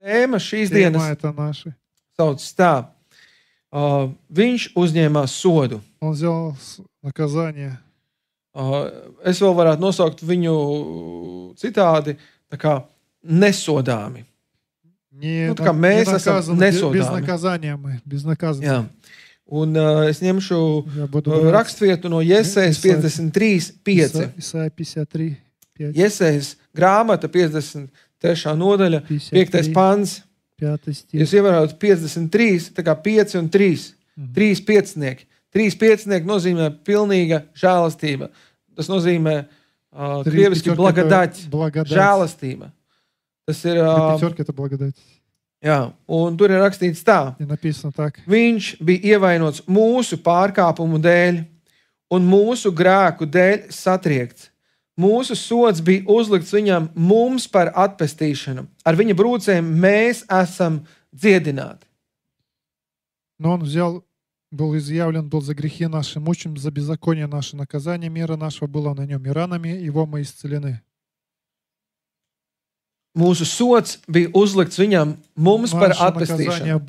Tēma šīs Тема dienas это наша. sauc tā. Viņš uzņēmās sodu. Он взял наказание. Es vēl varētu nosaukt viņu citādi, tā kā nesodāmi. Не, tā kā mēs esam без nesodāmi. наказания мы, без наказания. Jā. Un es ņemšu Я буду брать rakstvietu no Jesejas 53:5. Исайя 53, 5, Jesejas grāmata 53. nodaļa, 5. pants. 5 стих. Jūs ievērojat 53, tā kā 5 un 3. 3 piecinieki. 3 piecinieki nozīmē pilnīga žēlastība. Tas nozīmē krieviski blagadать, žēlastība. Tas ir... Пятерка это благодать. Jā, un tur ir rakstīts tā. И написано так. Viņš bija ievainots mūsu pārkāpumu dēļ un mūsu grēku dēļ satriekts. Mūsu sods bija uzlikts viņam mums par atpestīšanu. Ar viņa brūcēm mēs esam dziedināti. Но он был изъявлен, был за грехи наши, мучим за беззаконие наше. Наказание мира нашего было на нем, и ранами его мы исцелены. Mūsu sods bija uzlikts viņam mums par atpestīšanu.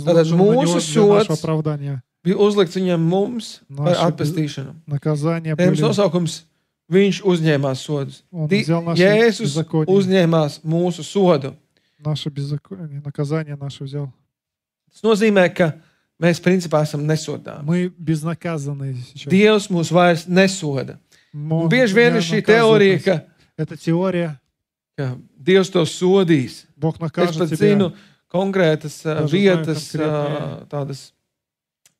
Tātad mūsu sods bija uzlikts viņam mums par atpestīšanu. Tēmas nosaukums viņš uzņēmās sodus. Jēzus uzņēmās mūsu sodu. Tas nozīmē, ka mēs principā esam nesodāmi. Dievs mūs vairs nesoda. Un bieži vien ir šī teorija, ka Dievs to sodīs. Es pat zinu konkrētas vietas, tādas,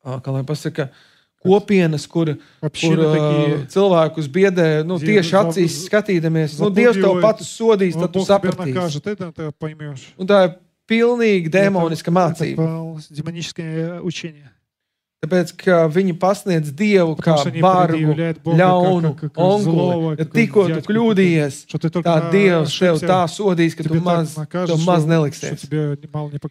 kā lai pasaka, kopienas, kur cilvēkus biedē, tieši acīs skatīdamies. Dievs tev pats sodīs, tad tu sapratīsi. Un tā ir pilnīgi demoniska mācība. Tāpēc, ka viņi pasniedz Dievu kā bargu, ļaunu, onguli. Ja tikko tu kļūdījies, tā Dievs tev tā sodīs, ka tu maz neliksies.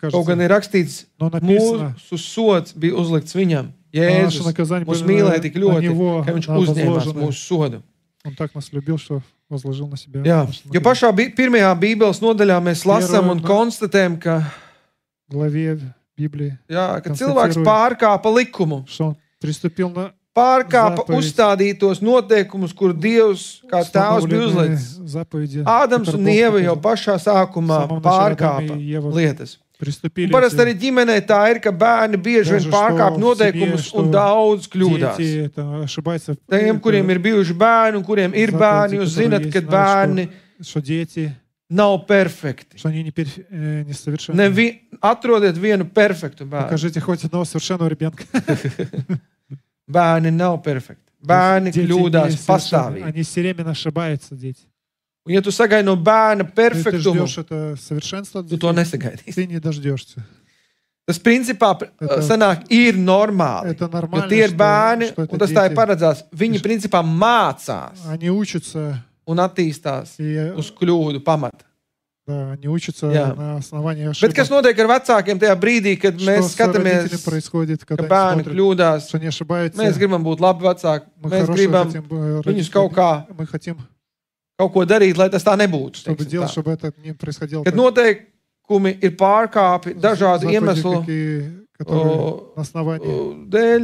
Kaut gan ir rakstīts, mūsu sods bija uzlikts viņam. Jēzus mūs mīlēja tik ļoti, ka viņš uzņēmās mūsu sodu. Jā, jo pašā pirmajā Bībeles nodaļā mēs lasām un konstatējam, ka ka cilvēks pārkāpa likumu. Pārkāpa uzstādītos noteikumus, kur Dievs kā tēvs bija uzlicis. Ādams un Ieva jau pašā sākumā pārkāpa lietas. Un parasti arī ģimenē tā ir, ka bērni bieži vien pārkāpa noteikumus un daudz kļūdās. Tiem, kuriem ir bijuši bērni un kuriem ir bērni, jūs zinat, ka bērni nav perfekti. Atrodiet vienu perfektu bērnu. Bērni nav perfekti. Bērni kļūdās pastāvīgi. Un ja tu sagaidi no bērna perfektumu, tu to nesagaidīsi. Tas principā sanāk ir normāli. Jo tie ir bērni, un tas tā ir paredzēts. Viņi principā mācās un attīstās uz kļūdu pamata. Bet kas notiek ar vecākiem tajā brīdī, kad mēs skatāmies, ka bērni kļūdās, mēs gribam būt labi vecāki, mēs gribam viņus kaut ko darīt, lai tas tā nebūtu. Kad noteikumi ir pārkāpi dažādu iemeslu dēļ,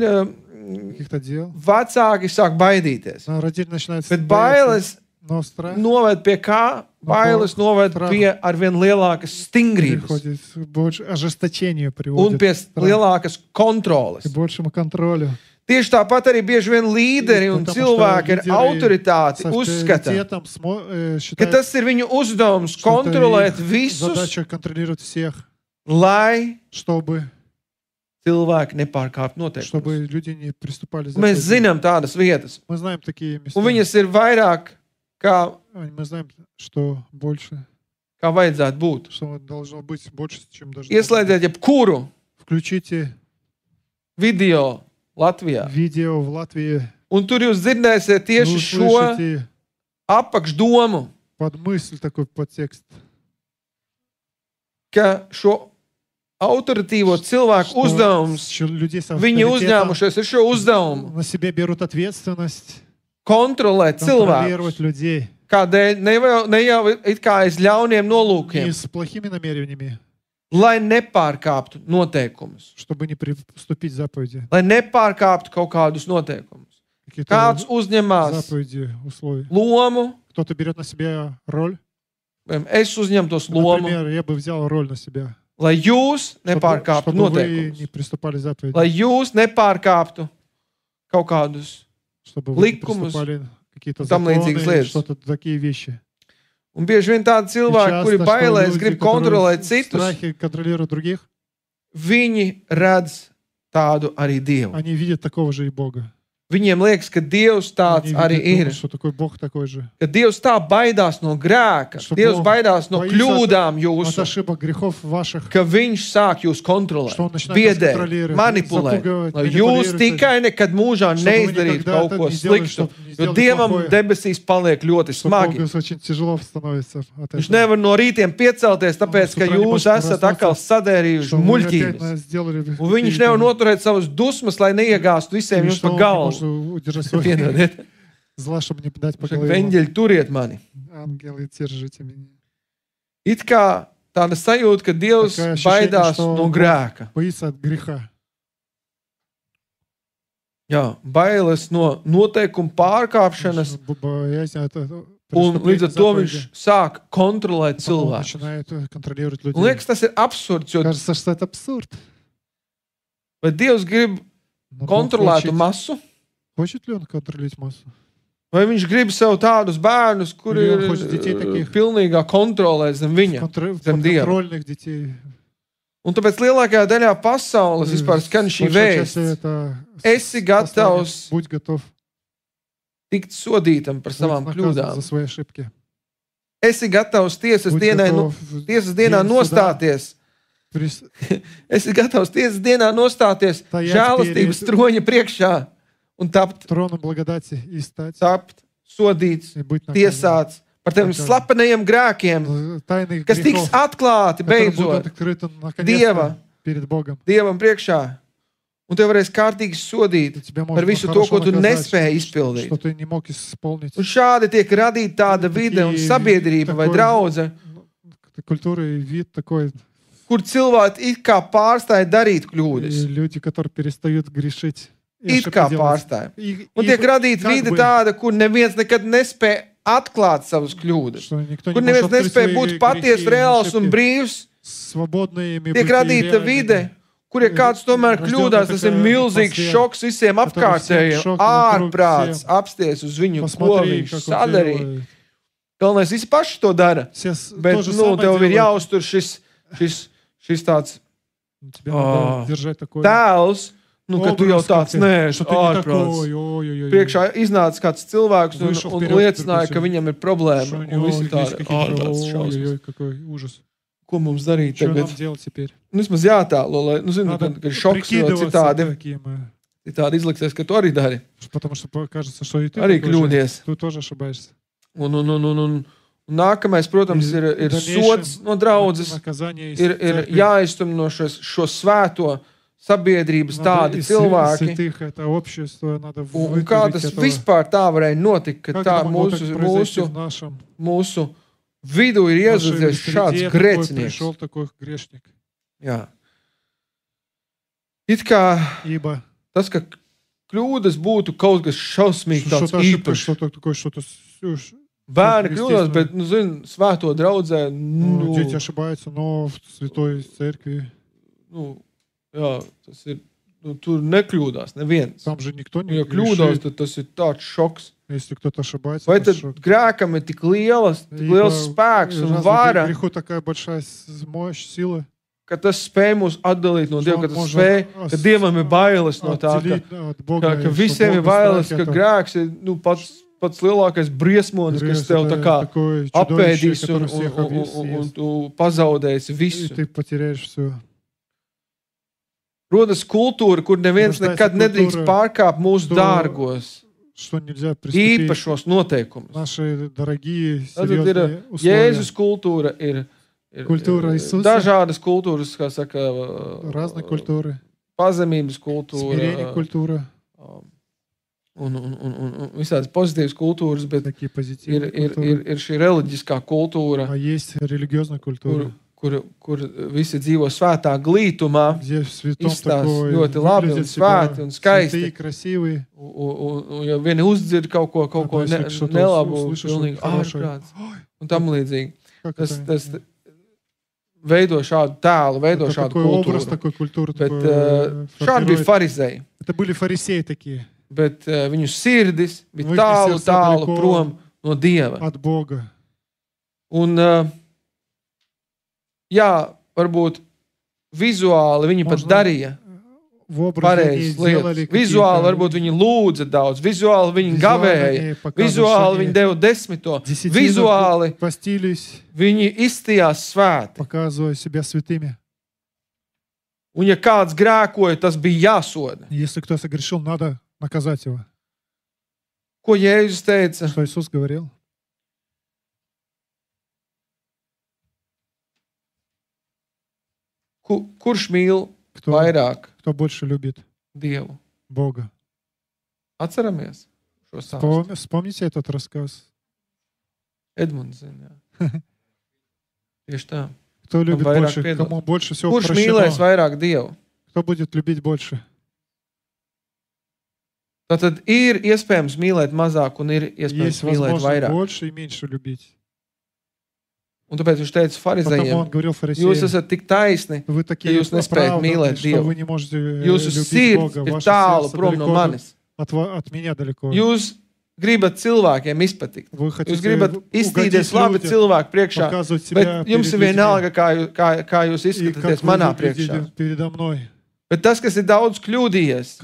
vecāki sāk baidīties. Bet bailes noved pie kā? Bailes noved pie arvien lielākas stingrības un pie lielākas kontroles. Tieši tāpat arī bieži vien līderi un cilvēki ar autoritāti uzskata, ka tas ir viņu uzdevums kontrolēt visus, lai cilvēki nepārkāptu noteikumus. Mēs zinām tādas vietas. Un viņas ir vairāk, kā vajadzētu būt. Ieslēdziet jebkuru video Latvijā. Un tur jūs dzirdēsiet tieši šo apakšdomu, ka šo autoritīvo cilvēku uzdevums, viņi uzņēmušies ar šo uzdevumu kontrolēt cilvēkus, Kādēļ? Ne jau it kā aiz ļauniem nolūkiem. Не с плохими намерениями, Lai nepārkāptu noteikumus. чтобы не приступить заповеди. Lai nepārkāptu kaut kādus noteikumus. Kāds uzņemās Заповеди, условия. lomu, Кто-то берет на себя роль. es uzņemtos lomu, Например, я бы взял роль на себя. lai jūs nepārkāptu Чтобы вы noteikumus. не приступали заповеди. Lai jūs nepārkāptu kaut kādus Чтобы вы не likumus, приступали какие-то там līdzīgas законы, lietas. что-то такие вещи. Un bieži vien tādi cilvēki, kuri bailēs, grib kontrolēt citus, страхи контролируют других, viņi redz tādu arī Dievu. они видят такого же и Бога. Viņiem liekas, ka Dievs tāds Они arī видят, ir. что такой Бог такой же. Ka Dievs tā baidās no grēka, Что Dievs Бог baidās no боится kļūdām От jūsu, ошибок, грехов ваших, ka Viņš sāk jūs kontrolēt, что Он начинает вас biedēt, контролировать, manipulēt, запугивать, lai jūs манипулировать, tikai nekad mūžā чтобы вы neizdarītu никогда kaut это ko не сделали, sliktu, чтобы не jo сделали Dievam плохое, debesīs paliek ļoti что smagi. Богу очень тяжело становится от Viņš этого. nevar no rītiem piecelties, tāpēc, ka С утра не jūs может esat проснуться, atkal sadērījuši Что вы опять muļķības. сделали Un viņš nevar noturēt savas dusmas, lai neiegāstu visiem jums pa galvu. удержать свой Piedodiet, зла, чтобы не дать по viņš saka, голове. veņģeļi, turiet mani. Ангелы, держите меня. It kā tāda sajūta, ka Dievs Такое ощущение, baidās что no Бог grēka. боится от греха. Jā, bailes no noteikumu pārkāpšanas, Боязнь от un līdz ar преступления to viņš заповеди. sāk kontrolēt Потом он cilvēku. начинает контролировать Un людей. liekas, tas ir absurds, jo Кажется, что это абсурд. vai Dievs grib Но Бог kontrolētu masu, хочет ли он контролировать массу? vai viņš grib sev tādus bērnus, kuri Или ir он хочет детей таких? pilnīgā kontrolē zem viņa. Зем Dieva. Подконтрольных детей. Un tāpēc lielākajā daļā pasaules vispār skan šī Большая часть vēsts. это Esi послание. gatavs Будь готов tikt sodītam par быть savām наказан kļūdām. за свои ошибки. Esi gatavs tiesas Будь dienā, готов tiesas dienā день суда nostāties. прис- Esi gatavs tiesas dienā nostāties Tajā žēlastības pierīt- troņa priekšā un tapt троном благодати и стать, sodīts, и быть наказан. tiesāts par teviem Naказan. slepenajiem grēkiem, Тайных kas tiks грехов, atklāti которые будут beidzot открыты Dieva, наконец-то перед Богом. Dievam priekšā. Un tev varēs kārtīgi sodīt И тебя par можно visu to, хорошо ko tu наказать, nespēji izpildīt. что ты не мог исполнить. Un šādi tiek radīta tāda vide un sabiedrība vai draudze, Культура и вид такой. kur cilvēki it kā pārstāja darīt kļūdas. И люди, которые перестают грешить. и It ошибки kā делать. pārstāja. И- Un и tiek radīta как vide бы, tāda, kur neviens nekad nespēja atklāt savas kļūdas. что никто не Kur может neviens открыть nespēja свои būt грехи patiesi и reāls un ошибки. brīvs. Свободными Tiek быть и radīta реальными. vide, kur ja kāds tomēr kļūdās, tas ir milzīgs šoks visiem apkārtējiem. Ārprāts apsties uz viņu, ko Посмотри, viņš как он sadarīja. делает. Galvenais, visi paši to dara. Все Bet, то же nu, самое tev ir делают. jāuztur šis tāds Тебе надо держать такое. tēls, nu, ka tu jau образ, tāds как ты, neesi что ты не ārprāts. такой, ой-ой-ой. Priekšā iznāca kāds cilvēks Вышел un вперед, liecināja, ka допустим, viņam ir Что problēma. у Un него visi есть tādi какие-то, ārprāts šausmas. ой-ой-ой, какой ужас. Ko mums darīt Что tagad? нам делать теперь? Nu, vismaz jātēlo, lai, nu, zinu, Надо kad ir šoks, jo прикидываться, citādi, какие мы. citādi izliksies, ka tu arī dari. Потому что кажется, что и ты Arī такой же. kļūdies. Ты тоже ошибаешься. Un nākamais, protams, ir sods no draudzes. Наказание из Ir церкви. jāiztum no šo svēto sabiedrības Надо tādi из cilvēki. святых, это общество, надо Un kā вытурить tas этого. vispār tā varēja notikt, ka Как tā это могло так произойти mūsu в нашем vidū ir нашей iezadzies šāds среде, такой grēcinieks. пришел такой грешник. Jā. It kā Ибо tas, ka kļūdas būtu kaut kas šausmīgi tāds что-то ошибка, īpašs. что-то такое, что-то Bērni естественно. kļūdās, bet, nu, zini, svēto draudzē, ну, дети ошибаются, но в святой церкви jā, tas ir, tur nekļūdās neviens. там же никто Nu, не ja kļūdās, грешит. tad tas ir tāds šoks. Если кто-то ошибается, Vai это tad шок. grēkam ir tik liels spēks un разве vara, греху такая большая мощь, сила, ka tas spēj mūs atdalīt no что Dieva, он ka tas может spēj, ka Dievam ir bailes no tā, отделить от Бога, ka и visiem что ir Бога bailes, страх ka это grēks ir pats lielākais briesmonis, kas грех, tev это tā kā такое чудовище, apēdīs которое всех un съест, tu pazaudēsi и visu. ты потеряешь все. Rodas kultūra, kur neviens Rostās nekad nedrīkst kultūra, pārkāpt mūsu to- dārgos, Что нельзя приступить īpašos noteikumus. наши дорогие, Tad ir серьезные условия. Jēzus kultūra, ir Kultūra Isusa. dažādas kultūras, kā saka, Разные культуры. pazemības kultūra, Смирение культура. un visādas pozitīvas kultūras, bet ir šī reliģiskā kultūra, kur visi dzīvo svētā glītumā, izstās ļoti labi un svēti un skaisti. Un ja vieni uzdzird kaut ko nelabu, pilnīgi ārprāts un tam līdzīgi. Tas veido šādu tēlu, veido šādu kultūru. Bet šādi bija farizēji. Bet viņu sirdis bija tālu prom no Dieva. Un jā, varbūt vizuāli viņi pat darīja pareizas lietas. Vizuāli varbūt viņi lūdza daudz, vizuāli viņi gavēja, vizuāli viņi deva 10. Vizuāli viņi izstījās svēti. Un ja kāds grēkoja, tas bija jāsoda. Ko Jēzus teica? Kurš mīl vairāk Dievu? Бога. Atceramies šo stāstu. Вспомните этот рассказ. Edmunds zina. Tieši tā. Кто любит больше? Кому больше всего прощено? Kurš mīlēs vairāk Dievu? Кто будет любить больше? Tātad ir iespējams mīlēt mazāk un ir iespējams mīlēt vairāk. Больше и меньше любить. Un tāpēc viņš teica farizējiem, jūs esat tik taisni, ka jūs nespējat mīlēt Dievu. Jūsu sirds ir tālu prom no manis. Jūs gribat cilvēkiem izpatikt. Jūs gribat izstīties labi cilvēku priekšā, bet jums ir vienalga, kā jūs izskatāties manā priekšā. Bet tas, kas ir daudz kļūdījies,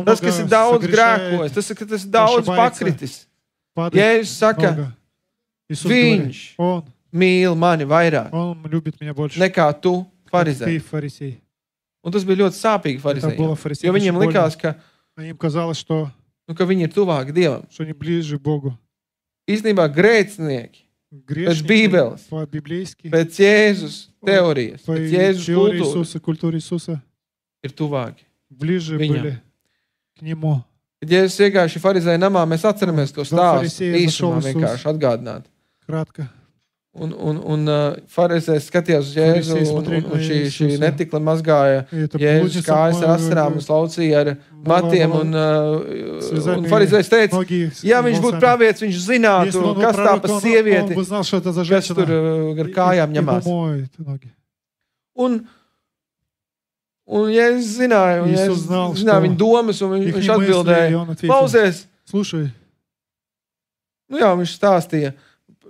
tas, kas ir daudz grēkojis, tas, kas ir daudz pakritis, Jēzus saka, viņš mīl mani vairāk nekā tu, farizēji. Un tas bija ļoti sāpīgi farizējiem, jo viņiem likās, ka viņi ir tuvāki Dievam. Īstenībā grēcinieki pēc Bībeles, pēc Jēzus teorijas, pēc Jēzus kultūras ir tuvāki viņam. Kad Jēzus iegāja šī farizēja namā, mēs atceramies to stāstu īsumā vienkārši atgādināt. Un farizējs skatījās uz Jēzu, un šī netikla mazgāja Jēzus kājas ar asarām un slaucīja ar matiem, un farizējs teica, ja viņš būtu pravietis, viņš zinātu, kas tā pa sievieti, kas tur ar kājām ņemās. Un Jēzus zināja, un Jēzus zināja viņa domas, un viņš atbildēja, klausies, nu jā, viņš stāstīja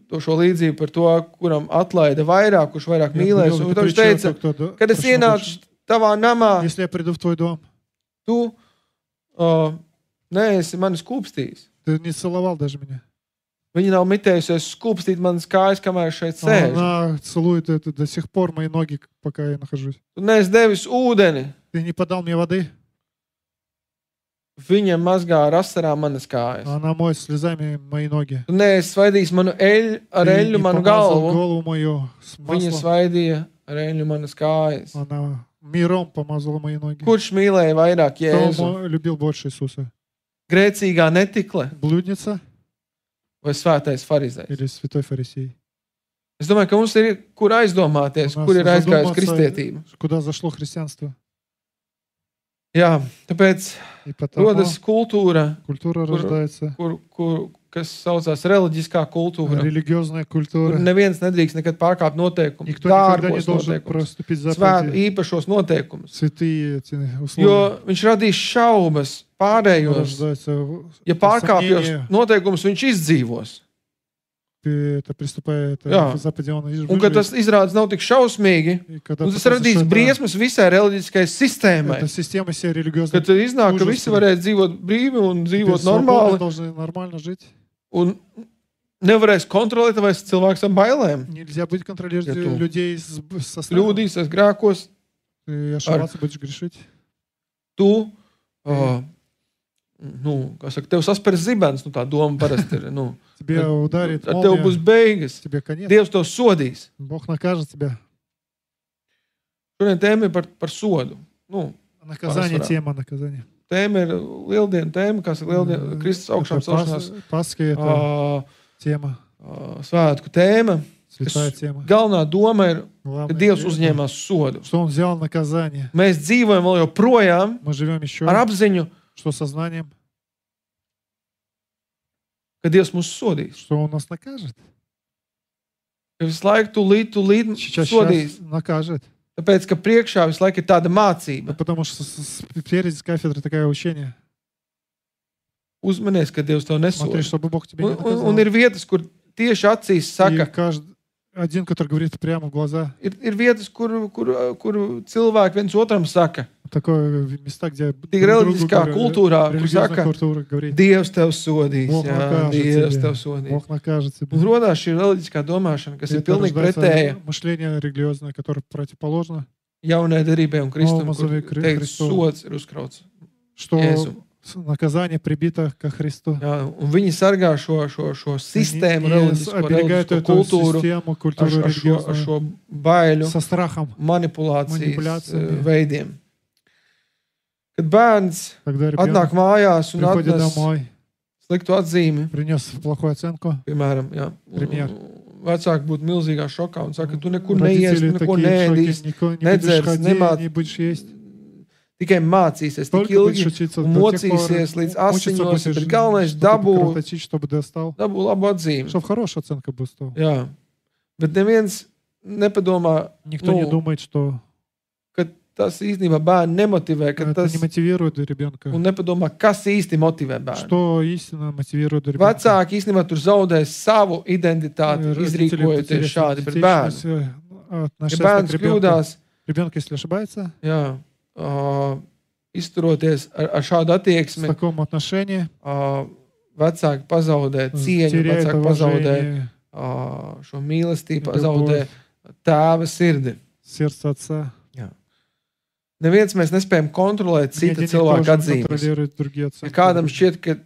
šo līdzību par to, kuram atlaida vairāk, kurš vairāk mīlēs. Un viņš teica, kad es ienācu tavā namā, tu neesi mani skūpstījis. Viņa nav mitējusies skūpstīt manas kājas, kamēr šeit sēž. Tu neesi devis ūdeni. Viņa mazgā ar asarām manas kājas. Tu neesi svaidījis ar eļļu manu galvu. Viņa svaidīja ar eļļu manas kājas. Kurš mīlēja vairāk Jēzu? Grēcīgā netikle? Vai svētais farizējs? Es domāju, ka mums ir kur aizdomāties, kur ir aizgājis kristietība. Jā, tāpēc rodas kultūra, kas saucās reliģiskā kultūra. Kur neviens nedrīkst nekad pārkāpt noteikumus, dārgos noteikumus, īpašos noteikumus. Jo viņš radīs šaubas pārējos. Ja pārkāpjos noteikumus, viņš izdzīvos. Un kad tas izrādās nav tik šausmīgi, un tas radīs briesmas visai reliģiskajai sistēmai. Kad iznāk, ka visi varēs dzīvot brīvi un dzīvot normāli. Un nevarēs kontrolēt vai cilvēks ar bailēm. Kļūdīsies grēkos. Tu, kā saka, tev saspers zibens, tā doma parasti ir, ar tev būs beigas. Dievs tev sodīs. Šodien tēma ir par sodu. Наказание, тема наказания. tēma ir lieldienu tēma, kas ir lieldienu Kristus augšām celšanās. Svētku tēma. Galvenā doma ir, ka Dievs uzņēmās sodu. Mēs dzīvojam vēl joprojām ar apziņu, ka Dievs mūs sodīs. Ka visu laiku tūlīt sodīs. Tāpēc, ka priekšā visu laiku ir tāda mācība. Uzmanies, ka Dievs tev nesoda. Un ir vietas, kur tieši acīs saka. Ir vietas, kur cilvēki viens otram saka. Tik reliģiskā kultūrā, kur saka, Dievs tev sodīs. Jā, Dievs tev sodīs. Un rodās šī reliģiskā domāšana, kas ir pilnīgi pretēja jaunai derībai un Kristum, kur teikt, sods ir uzkrauts Jēzum. Наказание прибито ко Христу. Jā, un viņi sargā šo sistēmu, reliģisko kultūru, ar šo baiļu, manipulācijas veidiem. Kad bērns atnāk mājās un atnes sliktu atzīmi, piemēram, jā, vecāki būtu milzīgā šokā un saka, tu nekur neies, neko neēdīs, nedzers, nemāc. Tikai mācīsies tik ilgi un mocīsies līdz asiņos, bet galvenais dabū labu atzīmi. Jā, bet neviens nepadomā, ka tas īstenībā bērnu nemotivē, un nepadomā, kas īsti motivē bērnu. Vecāki īstenībā tur zaudēs savu identitāti, izrīkojoties šādi pret bērnu. Ja bērns kļūdās, jā, izturoties ar šādu attieksmi, vecāki pazaudē cieņu, vecāki pazaudē šo mīlestību, pazaudē tēva sirdi. Jā. Neviens mēs nespējam kontrolēt cita cilvēka atzīmes. Ja kādam šķiet, ka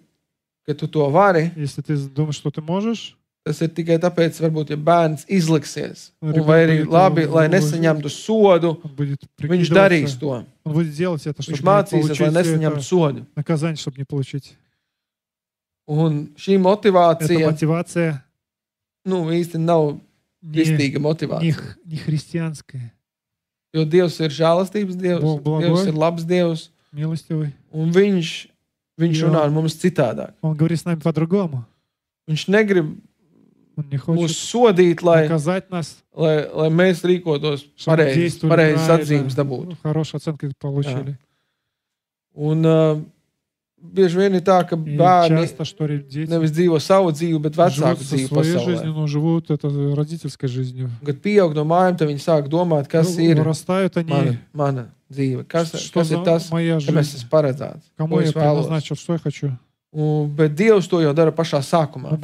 tu to vari, tas ir tikai tāpēc, varbūt, ja bērns izliksies, vai arī labi, lai nesaņemtu sodu, viņš darīs to. Viņš mācīsies, lai nesaņemtu sodu. Un šī motivācija, īsti nav kristīga motivācija. Jo Dievs ir žēlastības Dievs, Dievs ir labs Dievs, un viņš runā ar mums citādāk. Viņš negrib mūs sodīt, lai mēs rīkotos pareizes atzīmes dabūtu. Un bieži vien ir tā, ka bērni nevis dzīvo savu dzīvi, bet vecāku dzīvi pasaulē. Kad pieaug no mājām, tad viņi sāk domāt, kas ir mana dzīve, kas ir tas, ka mēs esam paredzēts, ko es vēlos. Bet Dievs to jau dara pašā sākumā.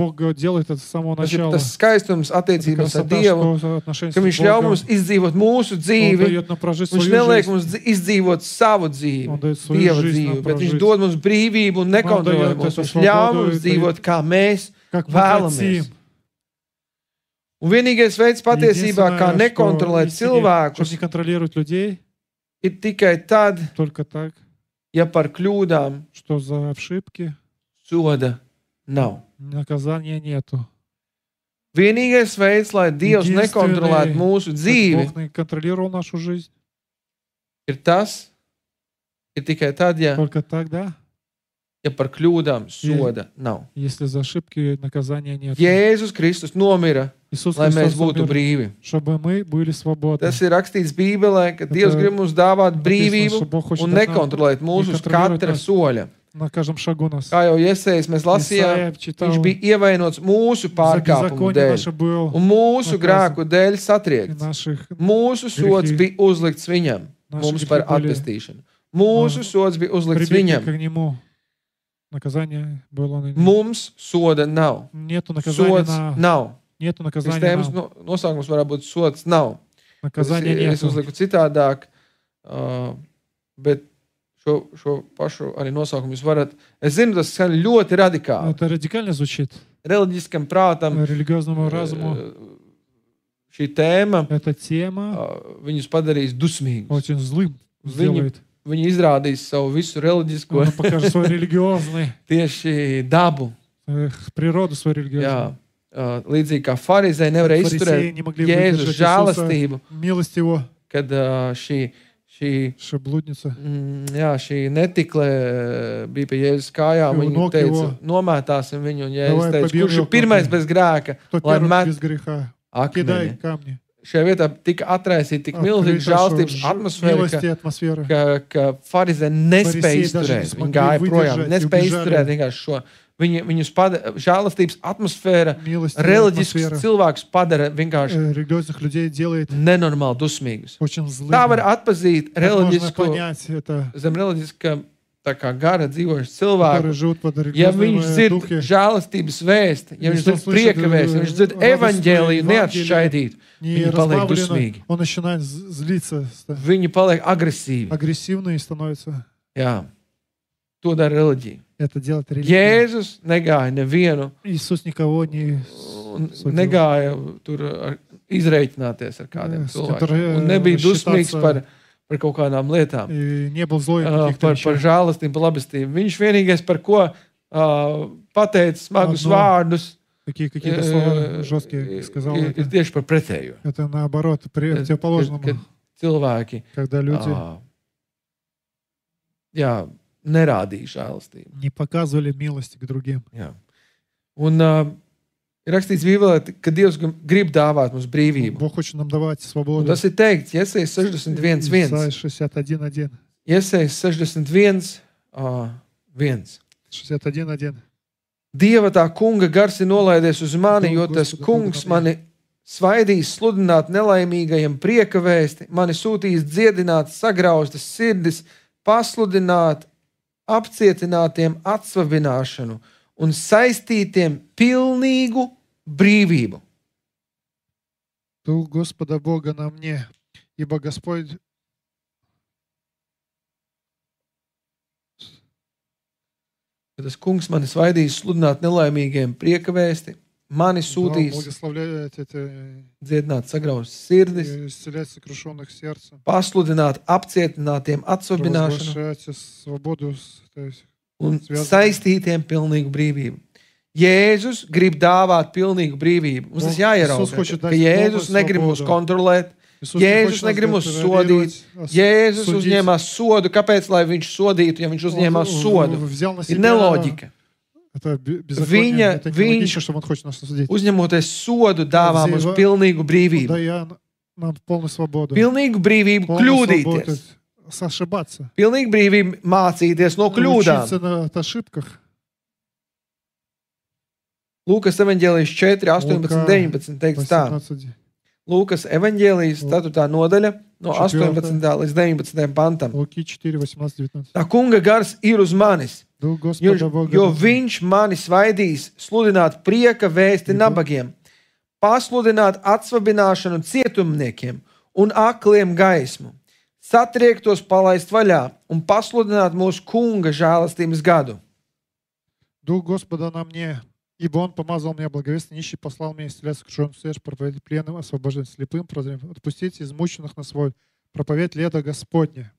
Tas skaistums attiecībās ar Dievu, ka viņš ļauj mums izdzīvot mūsu dzīvi, viņš neliek mums izdzīvot savu dzīvi, Dieva dzīvi, bet viņš dod mums brīvību un nekontrolē mums. Viņš ļauj mums dzīvot, kā mēs vēlamies. Un vienīgais veids patiesībā, kā nekontrolēt cilvēkus, ir tikai tad, ja par kļūdām soda nav. Vienīgais veids, lai Dievs nekontrolētu mūsu dzīvi, ir tikai tad, ja par kļūdām soda nav. Jēzus Kristus nomira, lai mēs būtu brīvi. Tas ir rakstīts Bībelē, ka Dievs grib mums dāvāt brīvību un nekontrolēt mūsu uz katra soļa. Kā jau Jesejs mēs lasījām, viņš bija ievainots mūsu pārkāpumu dēļ un mūsu grēku dēļ satriekts. Mūsu sods bija uzlikts viņam, mums par atpestīšanu. Mūsu sods bija uzlikts viņam. Mums soda nav. Sods nav. Sistēmas nosaukums varētu būt sods nav. Es uzliku citādāk, bet šo pašu arī nosaukumu jūs varat. Es zinu, tas skan ļoti radikāli. Reliģiskam prātam šī tēma viņus padarīs dusmīgus. viņi izrādīs savu visu reliģisko Он покажет свой религиозный, tieši dabu. Природу свою религиозную. Jā, līdzīgi kā farizēji nevarēja Фарисеи не izturēt могли Jēzus выдержать žēlastību, Иисуса, милость Его, kad šī шаблудница. šī netikle bija pie Jēzus kājām. Viņi teica, nomētāsim viņu, un Jēzus teica, kurš ir pirmais bez grēka, Кто lai первый met без греха, akmeni. кидай камни. Šajā vietā tika atraisīta tik milzīga žēlastības atmosfēra, Милости атмосфера. ka farizēji nespēja Farisēji daži izturēt. nesmogli Viņi gāja projām, выдержать, nespēja убежали. izturēt vienkārši šo. Viņus žēlastības atmosfēra Милость reliģisks атмосфера cilvēks padara vienkārši религиозных людей делает nenormāli dusmīgus. очень злыми. Tā var atpazīt Как можно reliģisko, понять это, zem reliģiska tā kā gara dzīvojuši которые cilvēku. живут под Ja viņš религиозными dzird духи, žēlastības vēsti, ja viņš Если он dzird слышит, prieka vēsti, ja viņš dzird радостное evaņģēliju Евангелие, neatšķaidīt, не viņi paliek разбавлено, dusmīgi. он начинает злиться, Viņi paliek agresīvi. агрессивный становится. Jā. To dara reliģija. Это делает религия. Jēzus negāja nevienu, Иисус никого не negāja tur izreikināties ar kādiem с cilvēkiem. которой, Un nebija dusmīgs считаться, par kaut kādām lietām. и не был злой Par каких-то вещах. žēlastību, par labestību. Viņš vienīgais, par ko pateica smagus No. vārdus, Такие какие-то слова жесткие сказал. ir tieši par pretējo. Это наоборот, противоположному. Kad cilvēki Когда люди nerādīja žēlastību. не показывали милости к другим. Jā. Un ir rakstīts Bībelē, ka Dievs grib dāvāt mums brīvību. Бог хочет нам давать Un свободу. tas ir teikts Jesaja 61:1. Исайя 61:1. Jesaja 61:1. 61:1. Dieva tā kunga gars ir nolaidies uz mani, jo tas kungs mani svaidīs sludināt nelaimīgajiem prieka vēsti, mani sūtīs dziedināt sagrauztas sirdis, pasludināt apcietinātiem atsvabināšanu un saistītiem pilnīgu brīvību. Дух Господа Бога на мне, ибо Господь Tas kungs mani svaidīs sludināt nelaimīgajiem prieka vēsti, mani дал sūtīs благословляет это dziedināt sagrauztas sirdis, и исцелять сокрушенных сердцем, pasludināt apcietinātiem atsvabināšanu провозглашать свободу, то есть un Svētdien. saistītiem pilnīgu brīvību. Jēzus grib dāvāt pilnīgu brīvību. Mums tas Иисус jāierauga, хочет ka дать Jēzus полную negrib mūs свободу. kontrolēt. Иисус не Jēzus хочет нас negrib mūs контролировать, sodīt. Jēzus uzņēmās sodu. Kāpēc, lai viņš sodītu, ja viņš uzņēmās sodu? взял на Ir себя neloģika. это беззаконие, это Viņš нелогично, что он хочет нас судить. uzņemoties sodu dāvā mums Dzīvo- pilnīgu brīvību. Дая нам полную свободу. Pilnīgu brīvību Полную kļūdīties. свободу ошибаться. Pilnīgu brīvību mācīties no kļūdām. Учиться на ошибках. Lūkas evaņģēlijas 4, 18, 19 teikts tā. 18. Lūkas evaņģēlijas 4. nodaļa no 18. līdz 19. pantam. Луки 4, 18, 19. Tā kunga gars ir uz manis, Дух jo Господа Бога. viņš mani svaidīs sludināt prieka vēsti nabagiem, pasludināt atsvabināšanu cietumniekiem un akliem gaismu, satriektos palaist vaļā un pasludināt mūsu kunga žēlastības gadu. Дух Господа на мне, ибо Он помазал меня благовестно, нищий послал меня исцелять сокрушенных сердец, проповедь пленным, освобождать слепым, отпустить измученных на свой, проповедь лета Господне.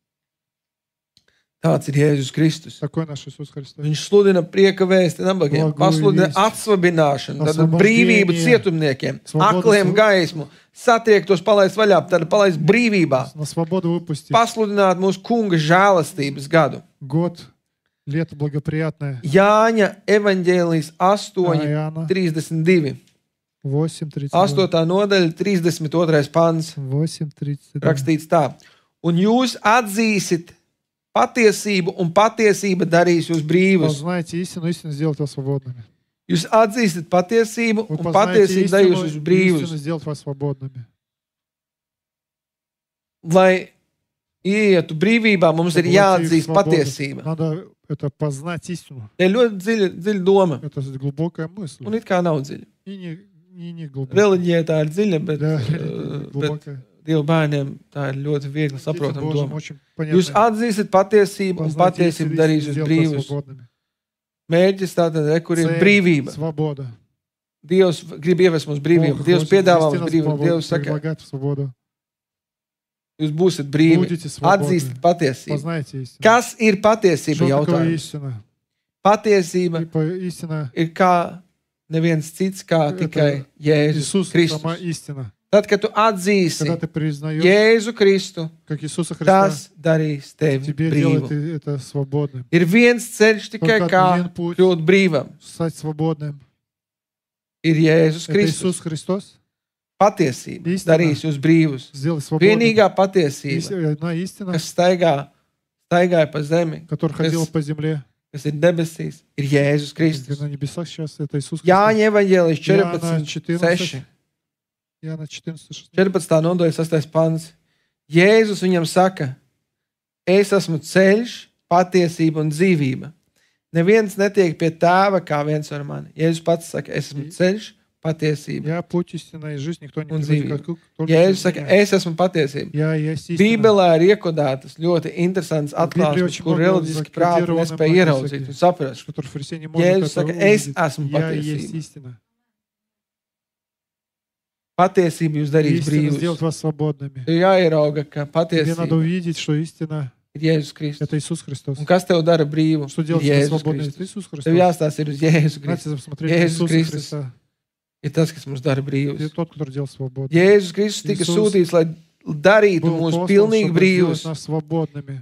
Tāds ir Jēzus Kristus. Такой наш Иисус Христос. Viņš sludina prieka vēsti nabagiem, Благую pasludina весть. atsvabināšanu, tad Освобождение. brīvību cietumniekiem, Svobodu akliem gaismu, satriektos palaist vaļā, tad palaist brīvībā, На свободу выпустить. pasludināt mūsu kunga žēlastības gadu. Год, лето благоприятное. Jāņa evaņģēlijas 8, Иоанна 32. 8:32. 8. nodaļa, 32. pants. 8:32. Rakstīts tā. Un jūs atzīsit patiesību, un patiesība darīs jūs brīvus. Познаете истину, истину сделает вас свободными. Jūs atzīstat patiesību, Вы un познаете patiesība darīs истину, jūs и brīvus. истину сделает вас свободными. Lai ietu brīvībā, mums ir Чтобы войти в jāatzīst свободу, patiesība. Надо это познать истину. Tā ir ļoti dziļa doma, Это глубокая мысль. un it kā nav dziļa. И не глубокая. Reliģija tā ir dziļa, bet, Да, bet глубокая. Dievu bērniem tā ir ļoti viegli Детям saprotama Божьим doma. очень Jūs понятно. atzīstat patiesību, un Познать patiesība истину, darīs истину jūs сделает вас brīvus. свободными. Mērķis tātad, kur ir Цель, brīvība. Свобода. Dievs grib ievest mums brīvību. Бог Dievs хочет piedāvā ввести mums нас в brīvību. свободу, Dievs saka, предлагает свободу. Jūs būsiet brīvi. Atzīstat patiesību. Kas ir patiesība jautājums? Patiesība ir kā neviens cits, kā tikai Jēzus Kristus. Tad, kad tu atzīsi Jēzu Kristu, tas darīs tevi brīvu. Ir viens ceļš tikai kā kļūt brīvam. Ir Jēzus Kristus. Patiesība darīs jūs brīvus. Vienīgā patiesība, kas staigāja pa zemi, kas ir debesīs, ir Jēzus Kristus. Jāņa evaņģēlijas 14:6. 14. nodaļa 6. pants. Jēzus viņam saka, es esmu ceļš, patiesība un dzīvība. Neviens netiek pie tēva, kā viens ar mani. Jēzus pats saka, es esmu ceļš, patiesība un dzīvība. Jēzus saka, es esmu patiesība. Bībelē ir iekodētas ļoti interesants atklāsmes, kur reliģiski prāti nespēja ieraudzīt un saprast. Jēzus saka, es esmu patiesība. Patiesība jūs darīs brīvus. Ir jāierauga, ka patiesība ir Jēzus Kristus. Un kas tev dara brīvu? Jēzus Kristus. Tev jāstāsta ir uz Jēzus Kristus. Jēzus Kristus ir tas, kas mums dara brīvus. Jēzus Kristus tika sūtīts, lai darītu mūs pilnīgi brīvus.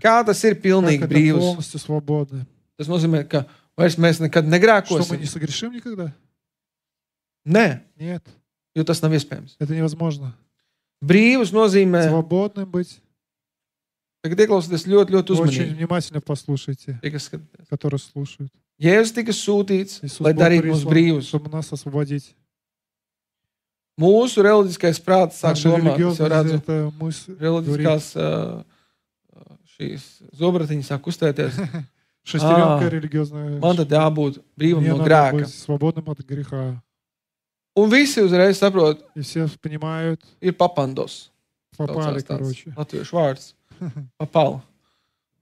Kā tas ir pilnīgi brīvus? Tas nozīmē, ka vairs mēs nekad negrēkosim. Nē. Jo tas nav iespējams. Brīvus nozīmē. Tagad ieklausieties ļoti uzmanīgi. Jēzus tika sūtīts, lai darītu mūs brīvus. Mūsu reliģiskais prāts sāk domāt, es jau redzu, reliģiskās šīs zobratiņas sāk kustēties. Man tad jābūt brīvam no grēka. Un visi uzreiz saprot, ir papandos. Latviešu vārds. Papala.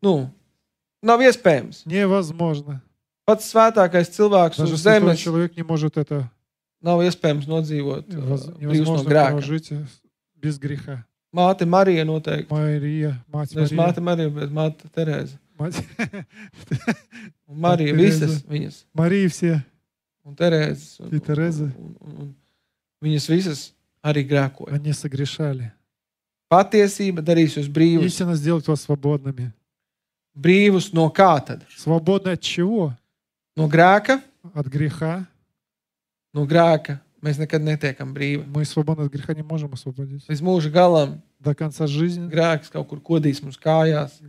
Nav iespējams. Pats svētākais cilvēks uz zemes nav iespējams nodzīvot brīvs no grēka. Māte Marija noteikti. Nevis māte Marija, bet māte Terēza. Marija visas viņas. Marija vsie. Un Terēzes. Un viņas visas arī grēkoja. Patiesība darīs jūs brīvus. Brīvus no kā tad? No grēka? No grēka mēs nekad netiekam brīvi. Līdz mūža galam grēks kaut kur kodīs mums kājās.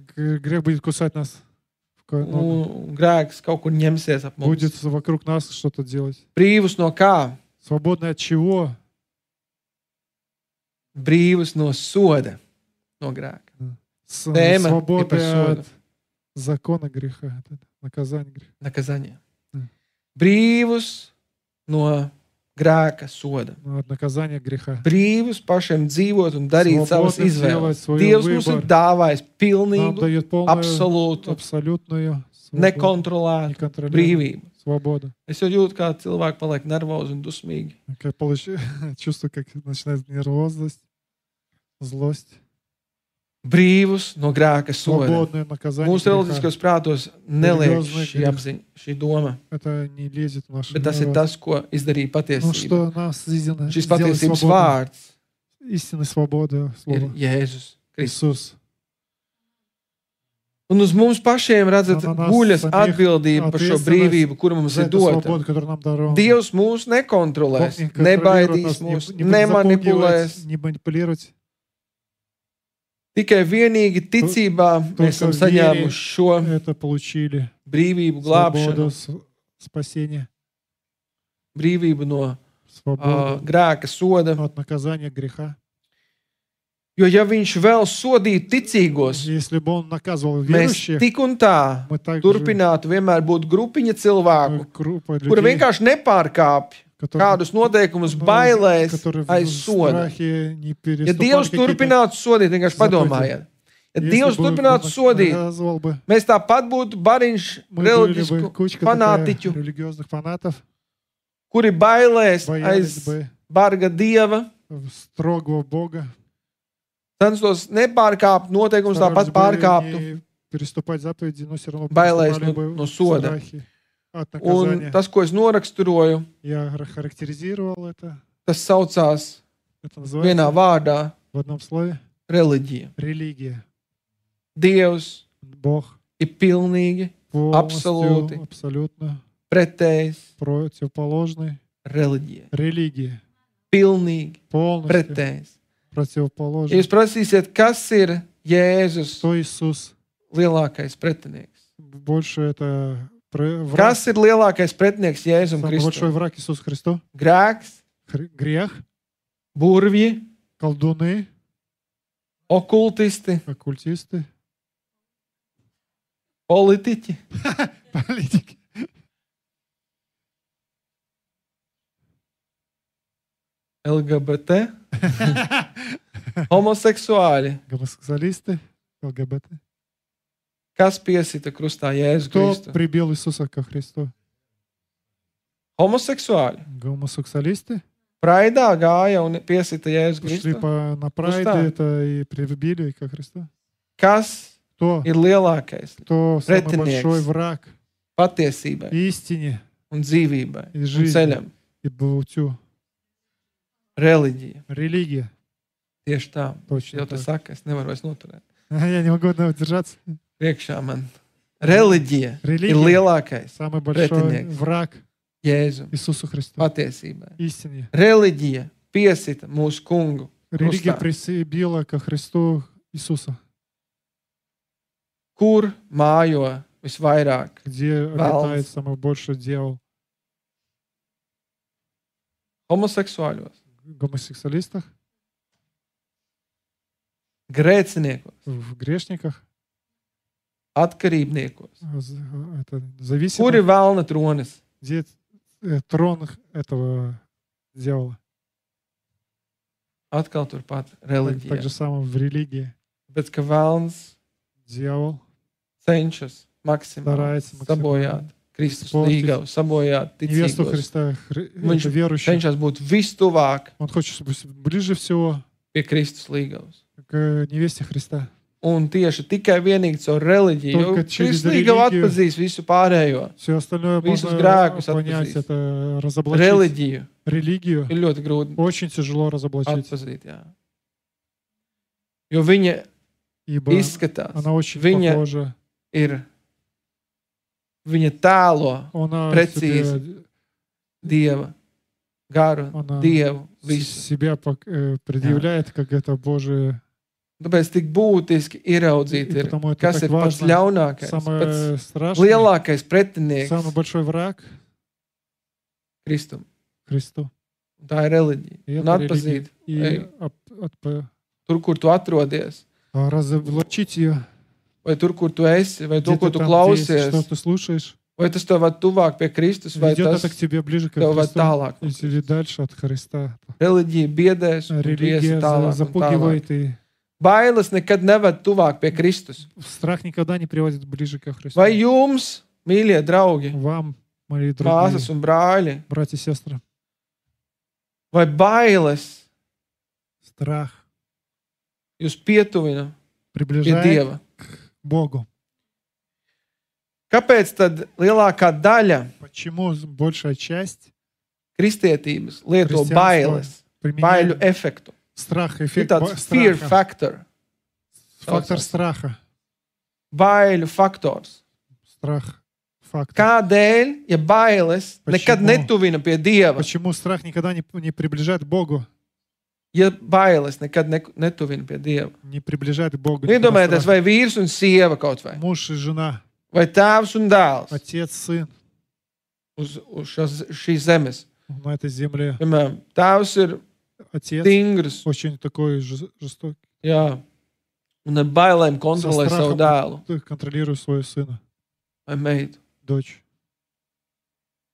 Un grēks kaut kur ņemsies ap mums. Будет вокруг нас что-то делать. Brīvus no kā? Свободны от чего? Brīvus no soda, no grēka. Свободы от закона греха, наказания греха. Наказание. Brīvus no grēka soda. От наказания греха. Brīvus pašiem dzīvot un darīt savas izvēles. Dievs mums ir dāvājis pilnīgu, absolūtu, nekontrolētu brīvību. Свобода. Es jau jūtu, kā cilvēki paliek nervozi un dusmīgi. Чувствую, как начинает нервозность, злость. Brīvus no grēka soda. Mūsu reliģiskos prātos neliek šī apziņa, šī doma. Bet tas ir tas, ko izdarīja patiesība. Šis patiesības vārds ir Jēzus Kristus. Un uz mums pašiem, redzat, guļas atbildība par šo brīvību, kuru mums ir dota. Dievs mūs nekontrolēs, nebaidīs mūs, nemanipulēs. Tikai vienīgi ticībā mēs esam saņēmuši šo brīvību, glābšanu, brīvību no grēka soda. Jo ja viņš vēl sodītu ticīgos, mēs tik un tā turpinātu vienmēr būt grupiņa cilvēku, kuri vienkārši nepārkāpj kādus noteikumus bailēs aiz soda. Ja Dievs turpinātu sodīt, vienkārši padomājiet. Ja Dievs turpinātu sodīt, mēs tāpat būtu bariņš reliģisku fanātiķu, kuri bailēs aiz barga Dieva, censtos nepārkāpt noteikumus, tāpat pārkāptu. Переступать заповеди, но все равно bailēs no soda. Un tas, ko es noraksturoju, tas saucās vienā vārdā reliģija. Dievs ir pilnīgi, absolūti pretējs reliģija. Pilnīgi pretējs. Ja jūs prasīsiet, kas ir Jēzus lielākais pretinieks? Kas ir lielākais pretinieks Jēzum Kristum? Grēks, burvji, okultisti, politiķi, LGBT, homoseksuāļi. LGBT. Kas piesita krustā Jēzu Kristu? Кто прибил Иисуса ко Христу? Homoseksuāļi. Гомосексуалисты. Прайdā gāja un piesita Jēzu Kristu. Шли на прайде это и прибили ко Христу. Kas ir lielākais pretinieks patiesībai un dzīvībai un ceļam? Reliģija. Tieši tā. Jau tas saka, es nevaru vairs noturēt. Я не могу удержаться. Priekšā man. Reliģija ir lielākais pretinieks Jēzum patiesībai. Reliģija piesita mūsu kungu Религия прибила ко Христу Иисуса. Kur mājo visvairāk? Где обитает самый большой дьявол? Homoseksuāļos. Гомосексуалистах. Grēciniekos. В грешниках. Atkarībniekos. Kur ir velna tronis? Где трон этого дьявола? Atkal turpat reliģija. Так же самое в религии. Bet ka velns дьявол cenšas maksimāli sabojāt Kristus līgavu, sabojāt ticīgos. Viņš cenšas būt vistuvāk pie Kristus līgavas. Un tieši tikai vienīgi caur reliģiju, jo Kristus līgava atpazīs visu pārējo. Visus grēkus atpazīs. Reliģiju ir ļoti grūti atpazīt. Jā. Jo viņa izskatās, viņa tēlo precīzi Dieva garu, Dievu visu. Tāpēc tik būtiski ieraudzīt ir, kas ir pats ļaunākais, pats lielākais pretinieks Kristum. Tā ir reliģija. Un atpazīt, tur, kur tu atrodies, vai tur, kur tu esi, vai to, ko tu klausies, vai tas tev ved tuvāk pie Kristus, vai tas tev ved tālāk. Reliģija biedēs un viesi tālāk un tālāk. Bailes nekad neved tuvāk pie Kristus. Vai jums, mīļie draugi, māsas un brāļi, vai bailes jūs pietuvina pie Dieva? Kāpēc tad lielākā daļa kristietības lieto bailes, baiļu efektu? Ir tāds fear factor. Фактор страха. Baiļu faktors. Kādēļ, ja bailes nekad netuvina pie Dieva? Почему страх никогда не приближает к Богу? Ja bailes nekad netuvina pie Dieva. Не приближает к Богу. Iedomājieties, vai vīrs un sieva kaut vai. Муж и жена. Vai tēvs un dēls. Отец, сын. Uz šīs zemes. На этой земле. Piemēram, tēvs ir stingrs. Очень такой жестокий. Jā. Un ar bailēm kontrolē savu dēlu. Контролирует своего сына. Vai meitu. Дочь.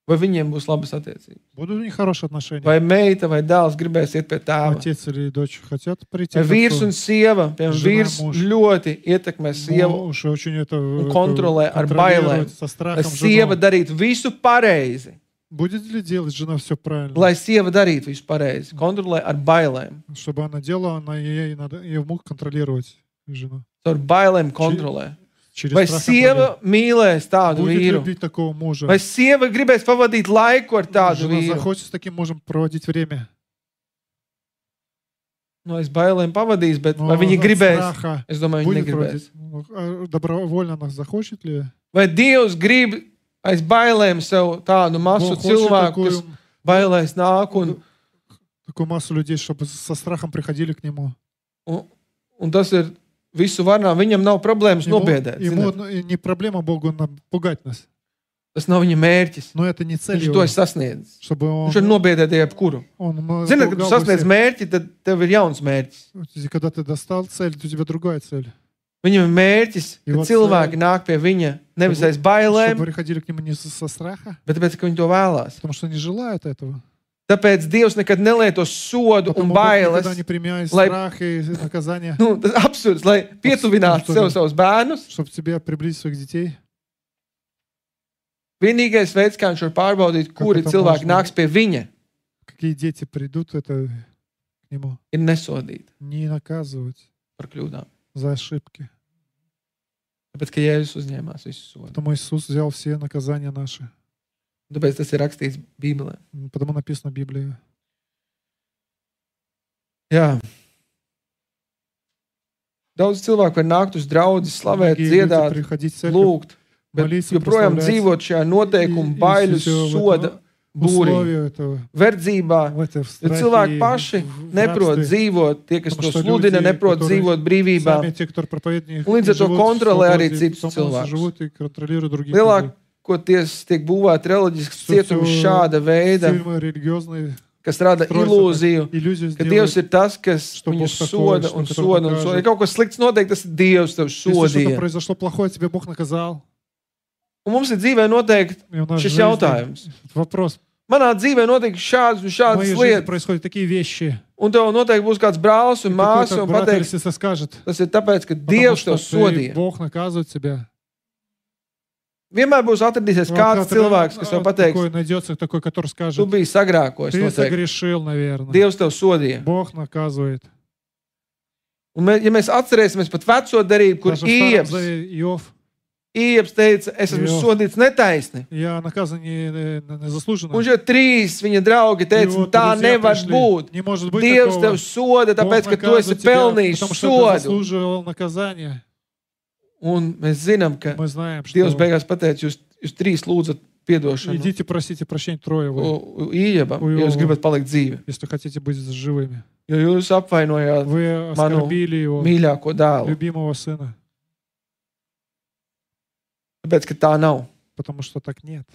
Vai viņiem būs labas attiecības? Будут у них хорошие отношения. Vai meita vai dēls gribēs iet pie tēva? Отец или дочь хотят прийти. Vai vīrs un sieva, piemēram, vīrs ļoti ietekmē sievu un kontrolē ar bailēm. Lai sieva darītu visu pareizi. Будет ли делать жена все правильно? Lai sieva darītu visu pareizi, kontrolē ar bailēm. Чтобы она делала, ей мог контролировать жена. Ar bailēm kontrolē. Через Vai страх sieva mīlēs tādu будет vīru? любить такого мужа. Vai sieva gribēs pavadīt laiku ar tādu Жена vīru? захочет с таким мужем проводить время. No, es bailēm pavadīs, bet Но vai viņi от gribēs? страха Es domāju, viņi будет negribēs. проводить. Добровольно она захочет ли? Vai Dievs grib aiz bailēm sev tādu masu Бог хочет cilvēku, kas bailēs nāk такую массу людей, чтобы со страхом приходили к нему. un tas ir visu varnām. Viņam nav problēmas nobiedēt. Ему не проблема Богу пугать нас. Tas nav viņa mērķis. Но это не цель Viņš его. to ir sasniedzis. Чтобы Viņš var nobiedēt jebkuru. Ziniet, kad tu sasniedz mērķi, tad tev ir jauns mērķis. Когда ты достал цель, у тебя другая цель. Viņam ir mērķis, ka cilvēki nāk pie viņa nevis aiz bailēm, Чтобы приходили к нему не со страха, bet tāpēc, ka viņi to vēlās. потому что они желают этого. Tāpēc Dievs nekad nelieto sodu un Потому Бог bailes, никогда не применяет lai- страх и наказание, tas absurds, lai pietuvinātu sev savus bērnus. чтобы тебе приблизить своих детей. Vienīgais veids, kā viņš var pārbaudīt, kuri это cilvēki можно? nāks pie viņa, Какие дети придут это к нему. ir nesodīt Не наказывать par kļūdām. за ошибки. Tāpēc, ka Jēzus uzņēmās visu sodu. Потому Иисус взял все наказания наши. Tāpēc tas ir rakstīts Bībelē. Потому написано в Библии. Jā. Daudz cilvēku var nākt uz draugu, slavēt, Многие люди dziedāt, приходить в церковь, lūgt, bet молиться, joprojām прославлять. dzīvot šajā noteikumu, baiļu, soda būrī, условия этого, verdzībā. в этой Jo страхе, cilvēki paši в neprot рабстве. dzīvot, tie, kas to Потому что sludina, люди, neprot которые dzīvot brīvībā. Сами те, кто проповедует, Un līdz ar to живут в kontrolē arī свободе, citus потом cilvēkus. живут и контролируют других людей. Lielākoties tiek būvēti reliģisks Все- cietums все šāda veida, фильмы религиозные kas rada строятся ilūziju, так, иллюзию ka Dievs сделают. ir tas, kas Что viņu Бог такой, soda что un который soda un покажет. soda. Ja kaut kas slikts notiek, tas ir Dievs tev Если что-то sodīja. произошло плохое, тебе Бог наказал. Un mums ir dzīvē noteikti И у нас в šis жизни jautājums. вопрос. Manā dzīvē notiek šādas un В šādas моей жизни lietas. происходят такие вещи. Un tev noteikti būs kāds brālis un māsa Какой-то un брат или pateiks, сестра скажет, tas ir tāpēc, ka потому Dievs что tev sodīja. Бог наказывает тебя. Vienmēr būs atradīsies kāds cilvēks, kas tev pateiks, Такой найдется такой, который tu скажет, biji sagrākojis ты noteikti. согрешил, наверное. Dievs tev sodīja. Бог наказывает. Un ja mēs atcerēsimies pat veco darību, kur Даже в Старом Ieps Завете Иов, teica, es esmu Jo. sodīts netaisni. я наказан незаслуженно. Un šie trīs viņa draugi И teica, вот tā друзья nevar пришли. būt. Не может быть Dievs такого. tev soda, tāpēc, Бог ka tu esi наказывает тебя, pelnījis потому что ты sodu. заслуживал наказание. Un mēs zinām, ka Мы знаем, что Dievs beigās pateica, jūs trīs lūdzat piedošanu идите, просите прощения трое вы, Iebam, ja jūs gribat palikt dzīvi. если хотите быть живыми. Jo jūs apvainojāt Вы manu оскорбили его, mīļāko dēlu. любимого сына, Tāpēc, ka tā nav. потому что так нет.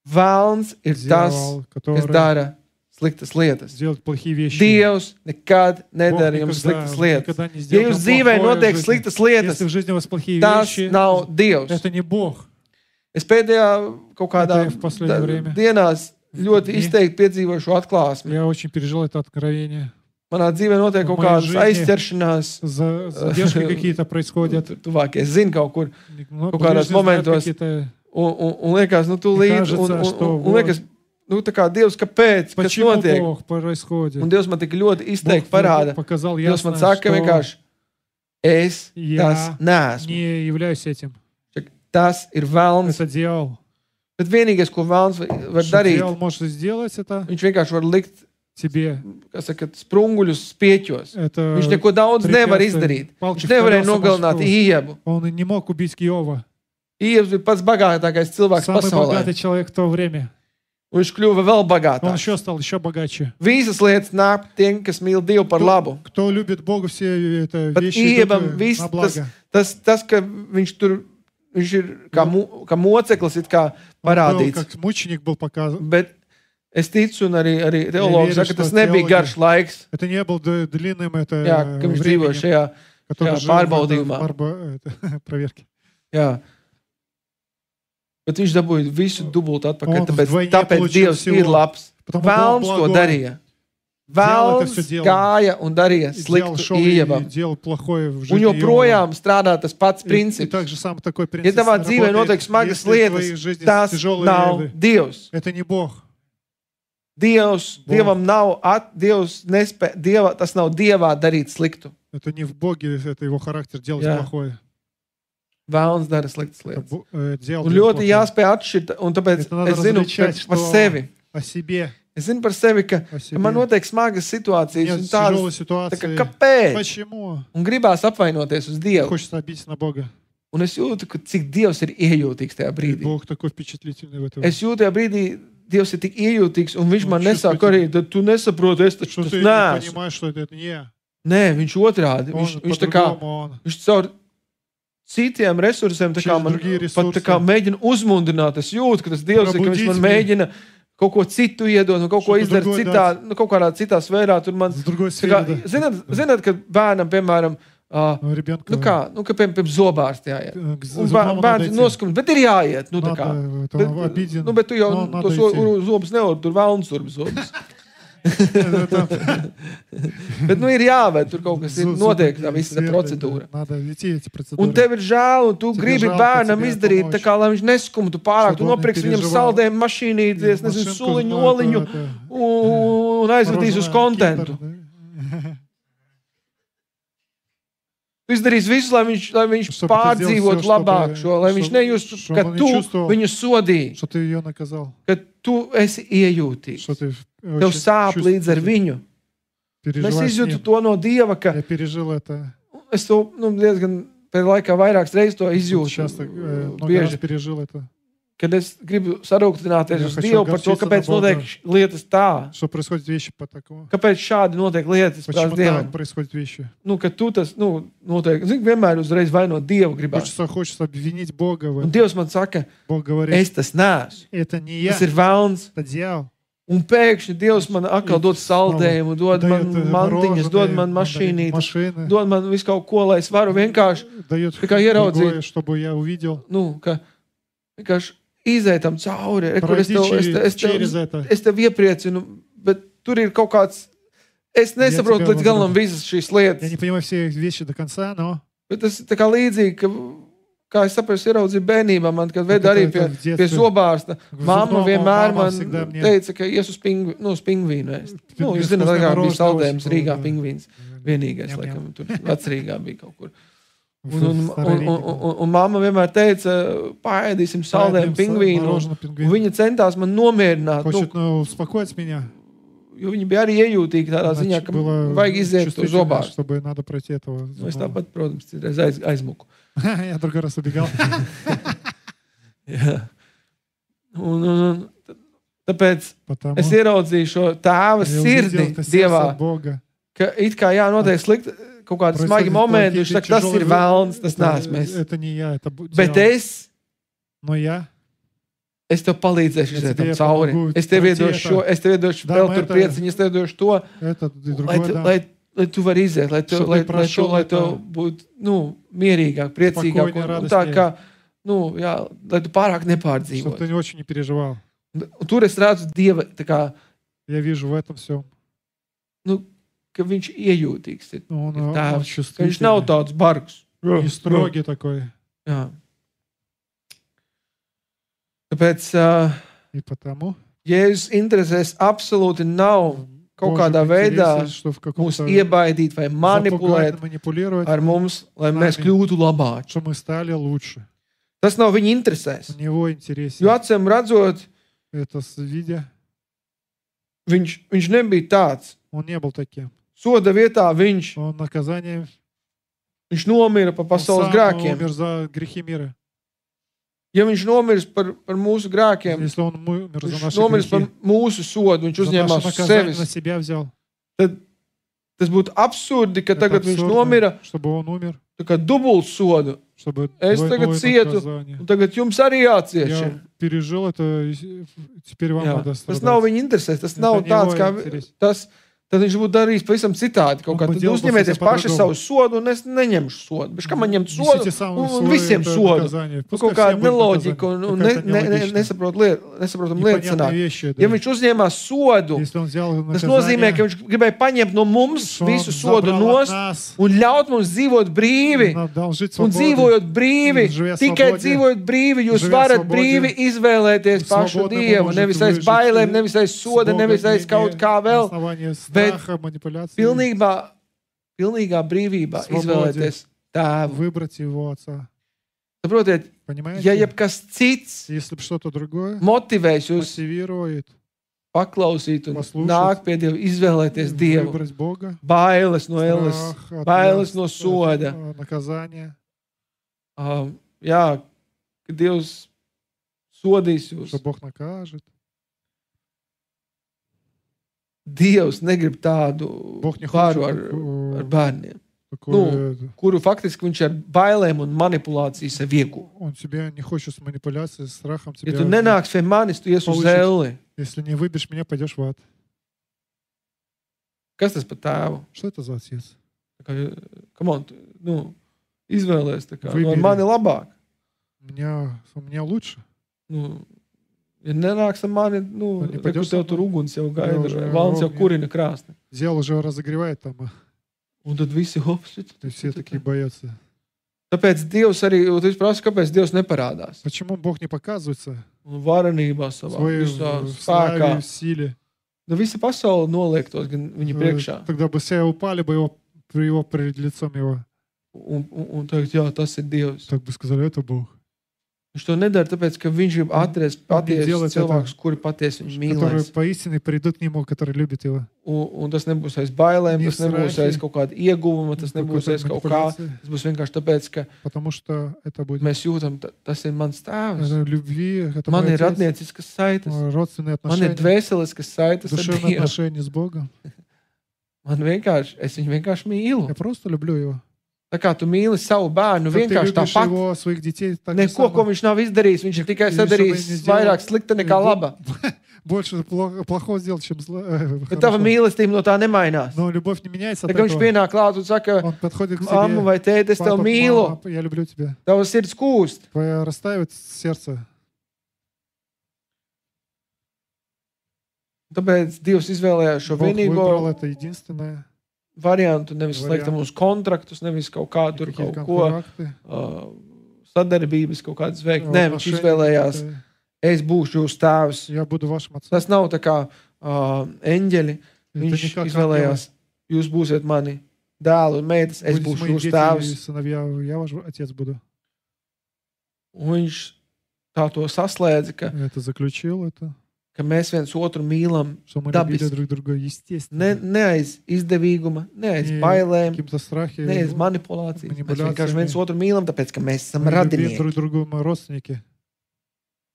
Velns ir tas, Дьявол, kas который dara sliktas lietas. делает плохие вещи. Dievs nekad Бог nedara jums sliktas lietas. никогда не Ja сделает jūs вам dzīvē плохое в notiek жизни. sliktas lietas, Если в жизни у вас плохие tas вещи, nav Dievs. это не Бог. Es pēdējā kaut kādā Это в последнее время. dienās ļoti Dni. izteikti piedzīvoju šo atklāsmi. Я очень пережил это откровение. Manā dzīvē notiek В kaut моей kādas жизни aizķeršanās. Задержки какие-то происходят. Tuvākie zina kaut kur. Ну, Kaut kādos ближние знают momentos. какие-то. Un liekas, nu, tu līdzi. кажется, что Un liekas, nu, tā kā Dievs, kāpēc? Kas Почему notiek? Бог происходит? Un Dievs man tik ļoti izteikti Бог parāda. показал Dievs man ясно, saka что vienkārši, es Я tas neesmu. не являюсь этим. Tas ir velns. Это дьявол. Bet vienīgais, ko velns var Что darīt, дьявол может сделать это viņš vienkārši var likt, тебе. kas saka, sprunguļus spieķos. Это Viņš neko daudz nevar препятствие, izdarīt. палки Viņš в nevarēja колеса nogalināt мостов. Iebu. Он не мог убить Иова. Iebs bija pats bagātākais cilvēks Самый pasaulē. богатый человек в то время. Un viņš kļuva vēl Он bagātāks. еще стал еще богаче. Visas lietas nāk tiem, kas mīl Dievu par labu. Кто любит Бога, все это Bet вещи Iebam идут viss на благо. tas, ka viņš tur, viņš ir kā moceklis, it kā Он был, parādīts. как мученик был показан. Bet es ticu, un arī teologi верю, saka, что tas nebija teologi- garš laiks, Это не был длинным это jā, ka viņš dzīvo временем, šajā который jā, жил в этом pārbaudījumā. проверке. Jā. Bet viņš dabūja visu dubult atpakaļ, Un tāpēc vdvойне Dievs получил всего. ir labs. Потому Бог Velns to благой. darīja. Vēlns gāja un darīja sliktu Ievam. Un joprojām strādā tas pats princips. Ja tavā dzīvē notiek smagas lietas, tas nav Dievs. Dievam nav, tas nav Dievā darīt sliktu. Vēlns dara sliktas lietas. Un ļoti jāspēj atšķirt, un tāpēc es zinu par sevi. Es zinu par sevi, ka man notiek smagas situācijas un tādas, kāpēc? Un gribās apvainoties uz Dievu. Un es jūtu, ka cik Dievs ir iejūtīgs tajā brīdī. Es jūtu tajā brīdī, Dievs ir tik iejūtīgs, un viņš man nesāk arī, tad tu nesaproti, es taču tas neesmu. Nē, viņš otrādi. Viņš tā kā, viņš caur citiem resursiem tā kā man pat tā kā mēģina uzmundrināt. Es jūtu, ka tas Dievs ir, ka viņš man mēģina kaut ko citu iedot, un kaut ko izdarīt citā, kaut kādā citā sfērā. Tur man, kā, zināt, ka bērnam, piemēram, ka piemēram zobārsti jāiet. Un bērns noskumst, bet ir jāiet. Bet tu jau tos zobus nevar, tur vēlns urbi zobus. Bet ir jāved, tur kaut kas ir notiek, tā visa procedūra. Un tev ir žēl, un tu gribi bērnam izdarīt tā kā, lai viņš neskumtu pārāk. Tu nopirksi viņam saldējumu mašīnīti, es nezinu, suliņu, oliņu un aizvedīs uz kontentu. Tu izdarīs visu, lai viņš pārdzīvotu labāk šo, lai viņš nejustu, ka tu viņu sodīji, ka tu esi iejūtīgs. Tev sāp līdz ar viņu. Es izjūtu to no Dieva, ka es to diezgan pēc laikā vairākas reizes to izjūtu. Bieži. Kad es gribu sarūktināties uz Dievu par to, kāpēc notiek lietas tā. Kāpēc šādi notiek lietas prāt Dievam. Ka tu tas, notiek. Zini, vienmēr uzreiz vainot Dievu gribās. Un Dievs man saka, es tas neesmu. Tas ir vēlns. Un pēkšņi Dievs man atkal dod saldējumu, dod man mantiņas, dod man mašīnīti, dod man visu kaut ko, lai es varu vienkārši kā ieraudzīt. Ka vienkārši izētam cauri, kur es tev iepriecinu, bet tur ir kaut kāds, es nesaprotu līdz galam visas šīs lietas. Bet tas ir tā kā līdzīgi, kā es saprotu, ieraudzīju bērnībā, man, kad veda arī pie zobārsta. Mamma vienmēr man teica, ka ies uz pingvīnu ēst. Jūs zināt, kā bija saldējums Rīgā pingvīns. Vienīgais, laikam, tur vecrīgā bija kaut kur. Un mamma vienmēr teica, paēdīsim saldējumu pingvīnu. Un viņa centās man nomierināt. Jo viņi bija arī iejūtīgi tādā ziņā, ka vajag iziet to zobārstu. Es tāpat, protams, aizmuku. Я другой раз убегал. Tāpēc es ieraudzīju šo tēva sirdi Dievā, ka it kā notiek slikti kaut kādi smagi momenti, viņš saka, tas ir vēlns, tas neesmu es. Bet es tev palīdzēšu iziet tam cauri. Es tev iedošu vēl tur prieciņu, es tev iedošu to, lai tu vari iziet, lai tev būtu mierīgāk, priecīgāk un tā kā, lai tu pārāk nepārdzīvot. Un tur es redzu Dieva, tā kā, ka viņš iejūtīgs ir tēvs, ka viņš nav tāds bargs. Jā. Tāpēc Jēzus interesēs absolūti nav kaut kādā veidā mūs iebaidīt vai manipulēt ar mums, lai mēs kļūtu labāki. Tas nav viņa interesēs. Jo acīm redzot, viņš nebija tāds. Soda vietā viņš nomira par pasaules grēkiem. Ja viņš nomirs par mūsu grēkiem, viņš nomirs par mūsu sodu, viņš uzņēmās uz sevis, tad tas būtu absurdi, ka tagad viņš nomira tā kā dubult sodu. Es tagad cietu, un tagad jums arī jācieš. Tas nav viņa interesēs, tas nav tāds kā tad viņš būtu darījis pavisam citādi. Kaut kā tad uzņemieties paši savu sodu un es neņemšu sodu. Bet kā man ņemt sodu un visiem sodu? Kaut kāda neloģika un nesaprotam lietas sanāk. Ja viņš uzņēmās sodu, tas nozīmē, ka viņš gribēja paņemt no mums visu sodu nost un ļaut mums dzīvot brīvi. Un dzīvojot brīvi, tikai dzīvojot brīvi, jūs varat brīvi izvēlēties pašu Dievu. Nevis aiz bailēm, nevis aiz soda, nevis aiz kaut kā vēl. Bet pilnīgā brīvībā izvēlēties tēvu. Saprotiet, ja jebkas cits motivēs jūs paklausīt un nāk pie Dieva, izvēlēties Dievu. Bailes no elles, bailes no soda. Jā, ka Dievs sodīs jūs. Dievs negrib tādu pāru ar bērniem, kuru faktiski viņš ar bailēm un manipulāciju sev iegū. Ja tu nenāks pie manis, tu ies uz elli. Kas tas par tēvu? Come on, izvēlēs tā kā, mani labāk. Ja nenāks ar mani, tev tur uguns jau gaida, valns jau kurina krāsni. Un tad visi hops. Tāpēc Dievs arī, tu prasa, kāpēc Dievs neparādās? Un varenībā savā, visā spēkā. Visa pasaule noliektos gan viņa priekšā. Un teikt, jā, tas ir Dievs. Viņš to nedara, tāpēc, ka viņš grib atrast patiesus cilvēkus, kuri patiesi viņu mīlēs. Un tas nebūs aiz bailēm, tas nebūs aiz kaut kāda ieguvuma, tas nebūs aiz kaut kā. Tas būs vienkārši tāpēc, ka mēs jūtam, tas ir mans tēvs. Man ir radnieciskas saites. Man ir dvēseliskas saites ar Dievu. Es viņu vienkārši mīlu. Tā kā tu mīli savu bērnu vienkārši tāpat. Neko, ko viņš nav izdarījis, viņš ir tikai sadarījis vairāk slikta nekā laba. Bet tava mīlestība no tā nemainās. Tā kā viņš pienāk klāt un saka, mamma vai tēti, es tev mīlu. Tava sirds kūst. Tāpēc Dievs izvēlējās šo vienīgo variantu, nevis slēgt mums kontraktus, nevis kaut kā tur kaut ko sadarbības kaut kādas veikt. Nē, viņš izvēlējās, es būšu jūsu tēvs. Tas nav tā kā eņģeļi. Viņš izvēlējās, jūs būsiet mani dēli un meitas, es būšu jūsu tēvs. Un viņš tā to saslēdza, ka mēs viens otru mīlam dabiski. Ne aiz izdevīguma, ne aiz bailēm, ne aiz manipulācijas. Mēs vienkārši viens otru mīlam, tāpēc, ka mēs esam radinieki.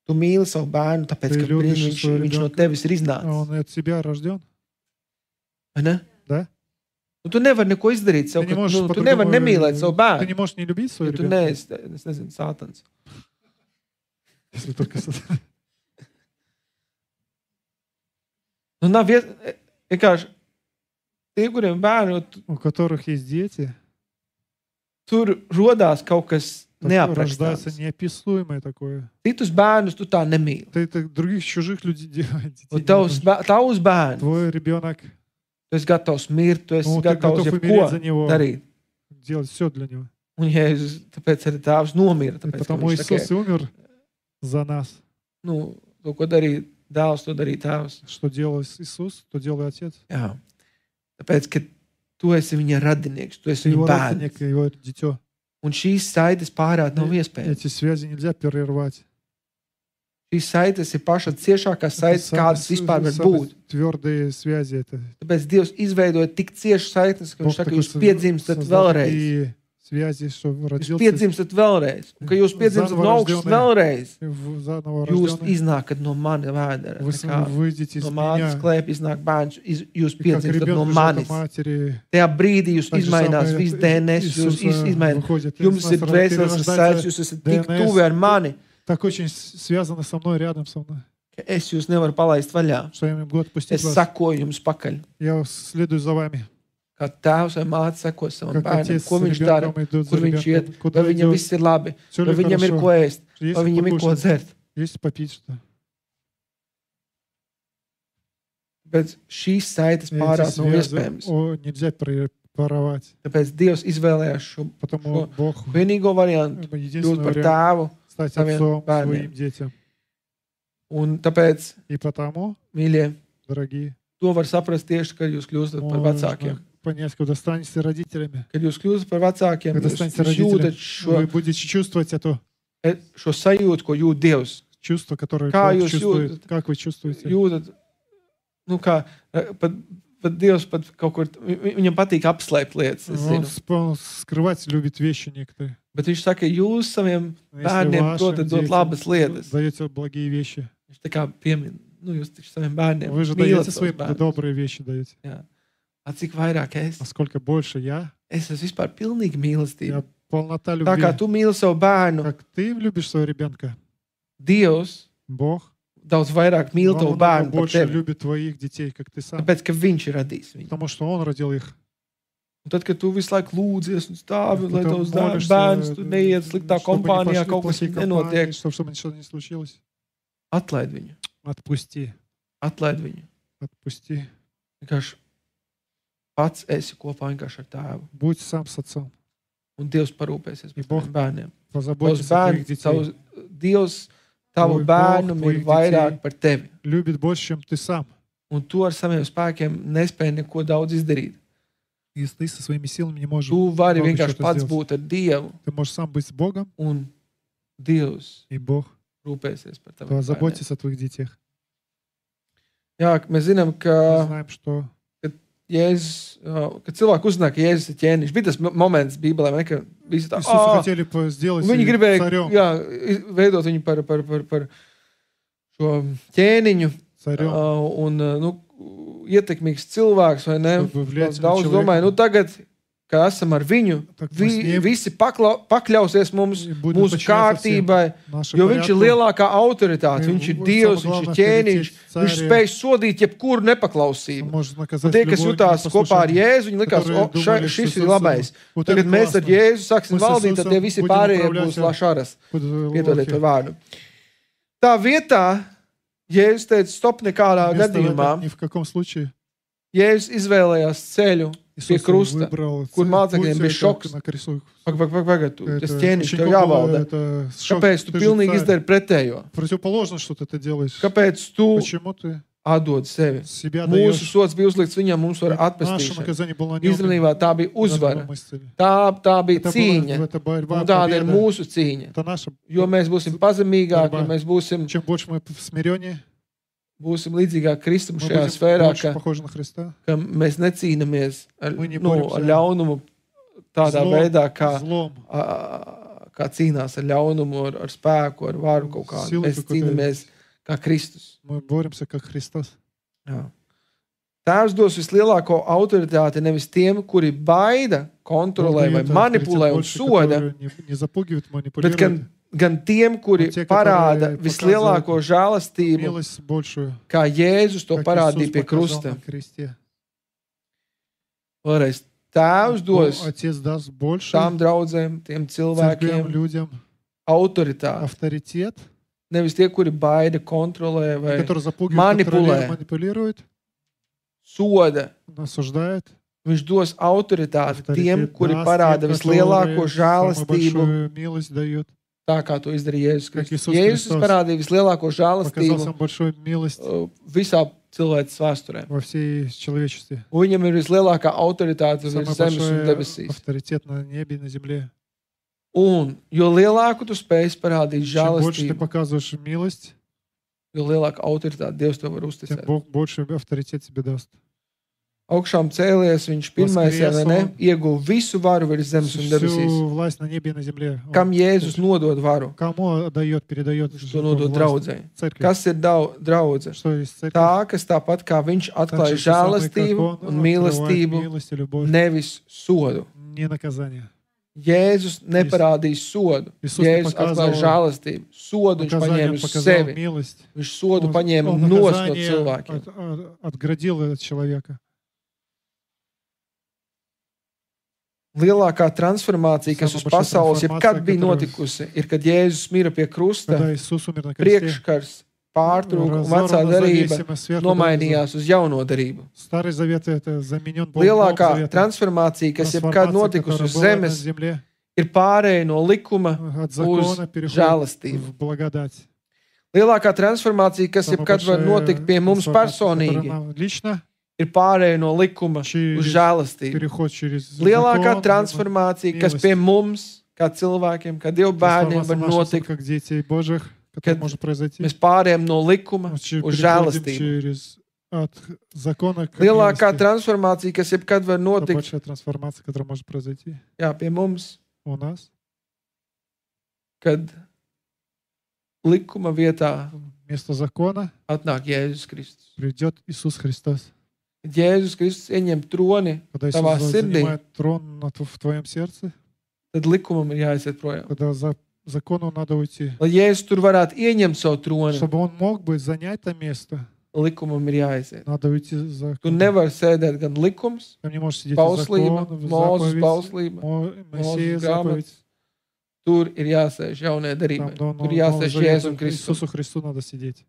Tu mīli savu bērnu, tāpēc, ka viņš no tevis ir iznācis. Vai ne? Tu nevari neko izdarīt sev, tu nevari nemīlēt savu bērnu. Tu neesi, es nezinu, sātans. Nav vienkārši tie, kuriem bērni, tur rodās kaut kas neaprakstāms. Citus bērnus tu tā nemīli. Tavs bērns. Tu esi gatavs mirt, tu esi gatavs jebko darīt. Un Jēzus, tāpēc arī tēvs nomira. Потому Иисус умер за нас. To, ko darīja dēls, to darīja tēvs. Что делал Иисус, то делает Отец. Jā. Tāpēc, ka tu esi viņa radinieks, tu esi viņa bērns. Un šīs saites pārēt nav iespējams. Эти связи нельзя прервать. Šīs saites ir paša ciešākās saites, kādas vispār var būt. Tвердые связи это. Tāpēc Dievs izveidoja tik ciešas saites, ka viņš saka, jūs piedzimstat vēlreiz. Jūs piedzimstat vēlreiz. Un, ka jūs piedzimstat no augšas vēlreiz, jūs iznākat no mana vēdera. No mātes klēpa iznāk bērns, jūs piedzimstat no manis. Tajā brīdī jūs izmainās viss DNS, jūs izmaināt. Jums ir dvēseles saites, jūs esat tik tuvi ar mani. Так очень связано со мной, рядом со мной. ka es jūs nevaru palaist vaļā. что я не могу отпустить Es вас. sakoju jums pakaļ. Я следую за вами. Kā tēvs vai māte seko savam Как bērnam, отец ko с viņš dara, ребенком идет kur за viņš iet, ребенком. vai Куда viņam идет? viss ir labi, Всё vai ли viņam ir хорошо? ko ēst, Есть vai viņam ir ko покушать? dzert. Есть попить что? Bet šīs saites Эти pārāk nav связи, iespējams. нельзя порвать. Tāpēc Dievs izvēlējās šo Потому Бог vienīgo variantu, kļūt единственный par вариант tēvu. стать saviem отцом bērniem. своим детям. Un tāpēc, И потому, mīļie, дорогие, to var saprast tieši, kad jūs kļūstat par vecākiem. можно понять, когда станете родителями. Kad jūs kļūstat par vecākiem, Когда jūs станете jūtat родителями, вы будете чувствовать это šo sajūtu, ko jūt Dievs. чувство, которое Kā Бог jūs чувствует. jūtat? Как вы чувствуете? Jūtat, nu kā, pat Dievs pat kaut kur, viņam patīk apslēpt lietas, es Он zinu. скрывать любит вещи некоторые. Bet viņš saka, jūs saviem Но если bērniem вашим protat dot детям labas lietas. даете благие вещи. Viņš tā kā piemin, nu jūs taču saviem bērniem Вы же mīlat даете savus своим bērnus. добрые вещи даете. Jā. A cik vairāk es? Насколько больше я Es esmu vispār pilnīgi mīlestība. полнота Tā kā любви. tu mīli savu bērnu, Как ты любишь своего ребенка, Dievs Бог daudz vairāk mīl tavu намного bērnu par больше tevi. любит твоих детей, как ты сам. Tāpēc, ka viņš ir radījis viņu. Потому что Он родил их. Un tad, kad tu visu laiku lūdzies un stāvi, lai Потом tavs молишься, bērns tu neiet sliktā чтобы не kompānijā, пошли kaut kas плохие компании, nenotiek, чтобы ничего не случилось. atlaid viņu. Отпусти. Atlaid viņu. Отпусти. Vienkārši pats esi kopā vienkārši ar tēvu. Будь сам с отцом. Un Dievs parūpēsies И par Бог taviem bērniem. Tavs Позаботься о твоих bērns, детей. Dievs tavu Tvoj bērnu Bog, mīl tvojih vairāk детей. par tevi. Любит больше, чем ты сам. Un tu ar saviem spēkiem nespēji neko daudz izdarīt. Если ты со своими силами не можешь, Tu vari много vienkārši чего pats сделать. būt ar Dievu, Ты можешь сам быть с Богом, un Dievs и Бог rūpēsies par taviem bērniem. позаботится о твоих детях. Jā, mēs zinām, Мы ka знаем, что Jēzus, kad cilvēki uzzināja, ka Jēzus ir ķēniņš, bija tas moments Bībelē, vai ne, ka visi tā, Иисуса хотели сделать viņi gribēja царем. veidot viņu par šo ķēniņu Царем, un nu, ietekmīgs cilvēks, vai ne? чтобы влиять на Daudz domāju, nu человека. tagad, kad esam ar viņu, Так мы с ним visi pakļausies mums, и будем mūsu подчиняться всем kārtībai, нашим jo viņš ir порядкам. lielākā autoritāte, viņš ir Dievs, viņš ir ķēniņš, viņš spēj sodīt jebkuru Он nepaklausību. может Un наказать tie, kas любое jutās kopā ar непослушание. Jēzu, viņi likās, которые думали, šis что ir labais. вот Tagad это mēs ar классно. Jēzu sāksim Мы с valdīt, tad tie Иисусом visi будем pārējie управлять būs lašaras. Под Piedodiet лохи. par vārdu. Tā vietā Jēzus teica, stop nekādā Вместо gadījumā. этого ни в каком случае Jēzus izvēlējās ceļu pie Иисус krusta, выбрал kur цель, mācekļiem путь bija это šoks. на кресту. Pagaid, Это tas ķēniņš tev ученикам jāvalda. было это шок. Kāpēc tu Ты же pilnīgi царь. izdari pretējo? Противоположно, что ты делаешь. Kāpēc tu Почему ты atdod sevi? себя Mūsu даешь? sots bija uzlikts viņam, mums var Наше atpestīšana. наказание было на нем. Īstenībā tā bija uzvara. Мы исцелили. Tā bija Это cīņa. была это борьба, Un tāda ir победа. mūsu cīņa. Это наша. Jo mēs būsim pazemīgāki, ja mēs būsim Чем больше мы в смирении, līdzīgāk Kristum мы šajā будем sfērā, больше ka, pahожи на Христа. ka mēs necīnamies ar, Мы не nu, боремся ar ļaunumu tādā Злом, veidā, kā, злом. kā cīnās ar ļaunumu, ar spēku, ar varu kaut kā. Силой Mēs какой-то. cīnāmies kā Kristus. Мы боремся как Христос. Jā. Tēvs dos vislielāko autoritāti nevis tiem, kuri baida, kontrolē vai Бог дает manipulē авторитет un больше, soda, который не запугивает, bet манипулирует. gan tiem, kuri Un tie, parāda которые vislielāko žēlastību, Милость большую, kā Jēzus to как parādīja Иисус pie показал krusta. на кресте. Vēlreiz, Tēvs dos Отец даст больше tām draudzēm, tiem церквям, cilvēkiem людям autoritāti. авторитет, Nevis tie, kuri baida, kontrolē vai который запугивает, манипулē. контролирует, манипулирует, soda. осуждает. Viņš dos autoritāti tiem, Авторитет kuri даст parāda тем, vislielāko которые самую žēlastību, большую милость дает. tā kā to izdarīja Jēzus Как Kristus. Иисус Jēzus Христос parādīja vislielāko Показал žēlastību самую большую милость visā cilvēces vēsturē. во всей человечестве. Un viņam ir vislielākā autoritāte virs Самый zemes un большой debesīs. авторитет на небе и на земле. Un jo lielāku tu spēj parādīt Чем больше ты žēlastību, показываешь милость, jo lielāka autoritāte Dievs tev var тем uzticēt. Бог больше авторитет тебе даст. Augšām cēlies, viņš pirmais, ja ne, ieguva visu varu virs zemes un debesīs. Всю власть на небе и на земле. Он Kam Jēzus nodod varu? Кому отдает, передает Viņš to nodod власть? draudzei. Церкви. Kas ir draudze? Что есть церковь? Tā, kas tāpat kā viņš Так atklāja же самое, как žēlastību он un открывает mīlestību, милость и любовь, nevis sodu. не наказание. Jēzus neparādīja sodu. Jēzus atklāja žēlastību. Sodu viņš paņēma uz sevi. Viņš sodu paņēma nos no cilvēkiem. Lielākā transformācija, kas uz pasaules jebkad bija notikusi, ir, kad Jēzus mira pie krusta, priekškars pārtrūka un vecā darība nomainījās uz jauno darību. Lielākā transformācija, kas jebkad notikusi uz zemes, ir pārēja no likuma uz žēlastību. Lielākā transformācija, kas jebkad var notikt pie mums personīgi, ir pārēja no likuma uz žēlastību. Lielākā transformācija, kas pie mums, kā cilvēkiem, kā Dieva bērniem, var notikt, kad mēs pārējām no likuma uz žēlastību. Lielākā transformācija, kas jebkad var notikt, pie mums, kad likuma vietā atnāk Jēzus Kristus. Kad Jēzus Kristus ieņem troni tavā sirdī, tad likumam ir jāiziet projām. Закону надо уйти. Lai Jēzus tur varētu ieņemt savu troni, чтобы он мог бы занять это место, likumam ir jāiziet. Надо уйти за Tu nevari sēdēt gan likums, Там не можешь сидеть bauslība, закон, Mūzes заповедь, bauslība, Моисея Mūzes grāmata. заповедь. Tur ir jāsēž jaunajai Там darībai. до Tur jāsēž Jēzum Kristum. Иисусу Христу надо сидеть.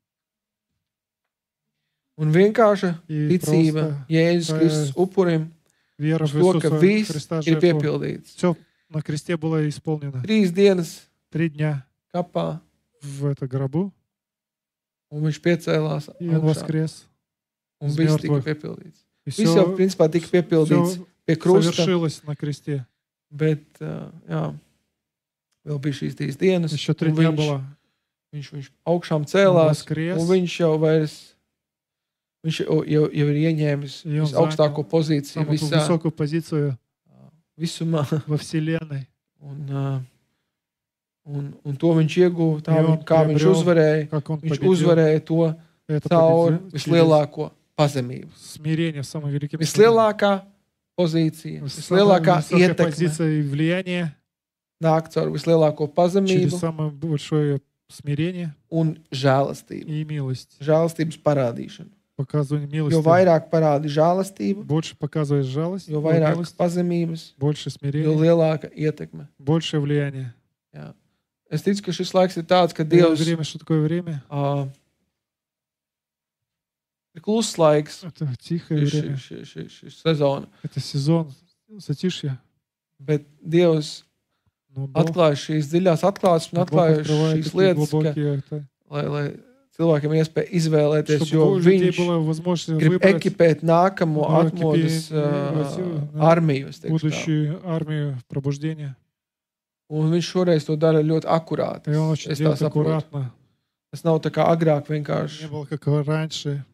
Un vienkārša И ticība просто Jēzus Kristus upurim вера uz в to, ka Иисуса viss Христа ir жертву. piepildīts. Все на кресте было исполнено. 3 dienas 3 дня kapā, в это гробу, un viņš piecēlās и он augšā, воскрес. un из viss tika мертвых. piepildīts. И Viss jau, principā, tika piepildīts все pie krusta, совершилось на кресте. bet, jā, vēl bija šīs 3 dienas, Еще 3 un дня было. viņš augšām cēlās, воскрес. un viņš jau vairs, viņš jau ir ieņēmis И он visaugstāko занял pozīciju самую visā, высокую позицию visumā, во Вселенной. un to viņš ieguva, tā, И он kā viņš приобрел, uzvarēja, как он viņš победил uzvarēja to это caur победил через vislielāko pazemību. смирение, самым великим Vislielākā pozīcija, Самая vislielākā высокая ietekme позиция и влияние nāk caur vislielāko через pazemību самое большое смирение un žēlastību. и mилость. Žēlastības parādīšanu. Показывание Jo милости. vairāk parādi žēlastību, Больше показываешь жалость, jo vairāk милость, pazemības, больше jo смирения, lielāka ietekme. больше влияния. Jā. Es ticu, ka šis laiks ir tāds, ka Это Dievs время, что такое время? ir kluss laiks Это тихое время. šī sezona, Это сезон затишья. bet Dievs Но Бог atklāja šīs dziļās atklāsmes un atklāja открывает šīs такие lietas, ka, глубокие, это, lai cilvēkiem ir iespēja izvēlēties, чтобы jo у людей viņš была возможность grib выбрать ekipēt nākamo Nu, atmodas ekipēt, armiju. Es teikšu tā. будущую армию пробуждения. Un viņš šoreiz to dara ļoti akurāti. И он очень Es tā делает saprotu. аккуратно. Tas nav tā kā agrāk Не vienkārši было как раньше,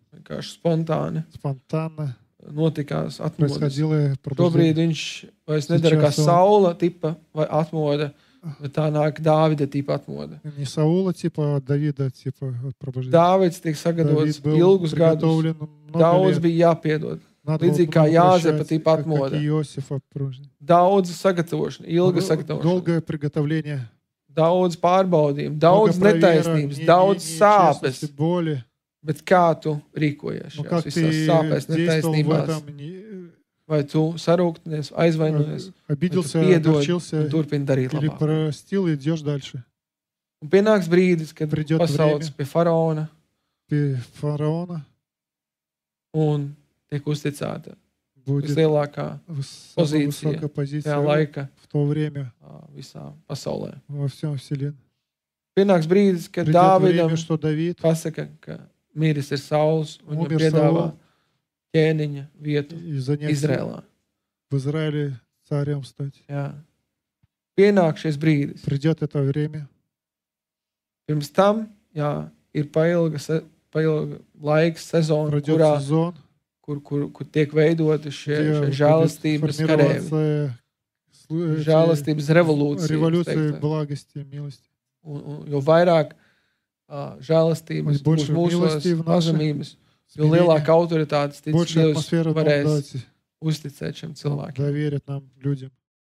spontāni спонтанно notikās atmodas. происходило Tobrīd пробуждение. viņš vairs nedara kā Сейчас он- Saula tipa vai atmoda, bet tā nāk Dāvida tipa atmoda. Не Саула, типа, а Давида, типа, вот пробуждение. Dāvids tiek sagatavots Давид был ilgus gadus. приготовлен много Daudz лет. bija jāpiedod. Надо было līdzīgi kā много Jāzepa прощать, tipa как atmoda. и Иосифа пробуждение. Daudz sagatavošana, ilga sagatavošana. Долгое приготовление. Daudz pārbaudījumu, Много daudz проверок, netaisnības, daudz sāpes. нечестности, боли. Bet kā tu rīkojies Ну, šajās как visās ты sāpēs, действовал в netaisnībās? этом, Vai tu sarūktinies, aizvainojies, обиделся, vai tu piedod огорчился un turpini darīt или labāk? простил и идешь дальше. Un pienāks brīdis, kad Придет pasauc время. pie faraona Ты фараона un tiek uzticēta будет vislielākā самая позиция высокая tajā позиция laika в то время visā pasaulē. во всем вселенной. Pienāks brīdis, kad Придет Dāvidam время, что Давид pasaka, ka miris ir Sauls un viņam Umir piedāvā Saul. ķēniņa vietu и занять Izrēlā. в Израиле царем стать. Jā. Pienāk šis brīdis. Придет это время. Pirms tam, jā, ir pailga laiks, sezona, Пройдет kurā, сезон, kur tiek veidoti šie где будет žēlastības karēvi, формироваться žēlastības revolūcija. революция благости, милости. Jo vairāk žēlastības būs Больше mūsos милости в нашей pazemības, jo смирении, lielāka autoritātes tic больше Dievs атмосфера varēs благодати uzticēt šiem cilvēkiem. доверят нам, людям.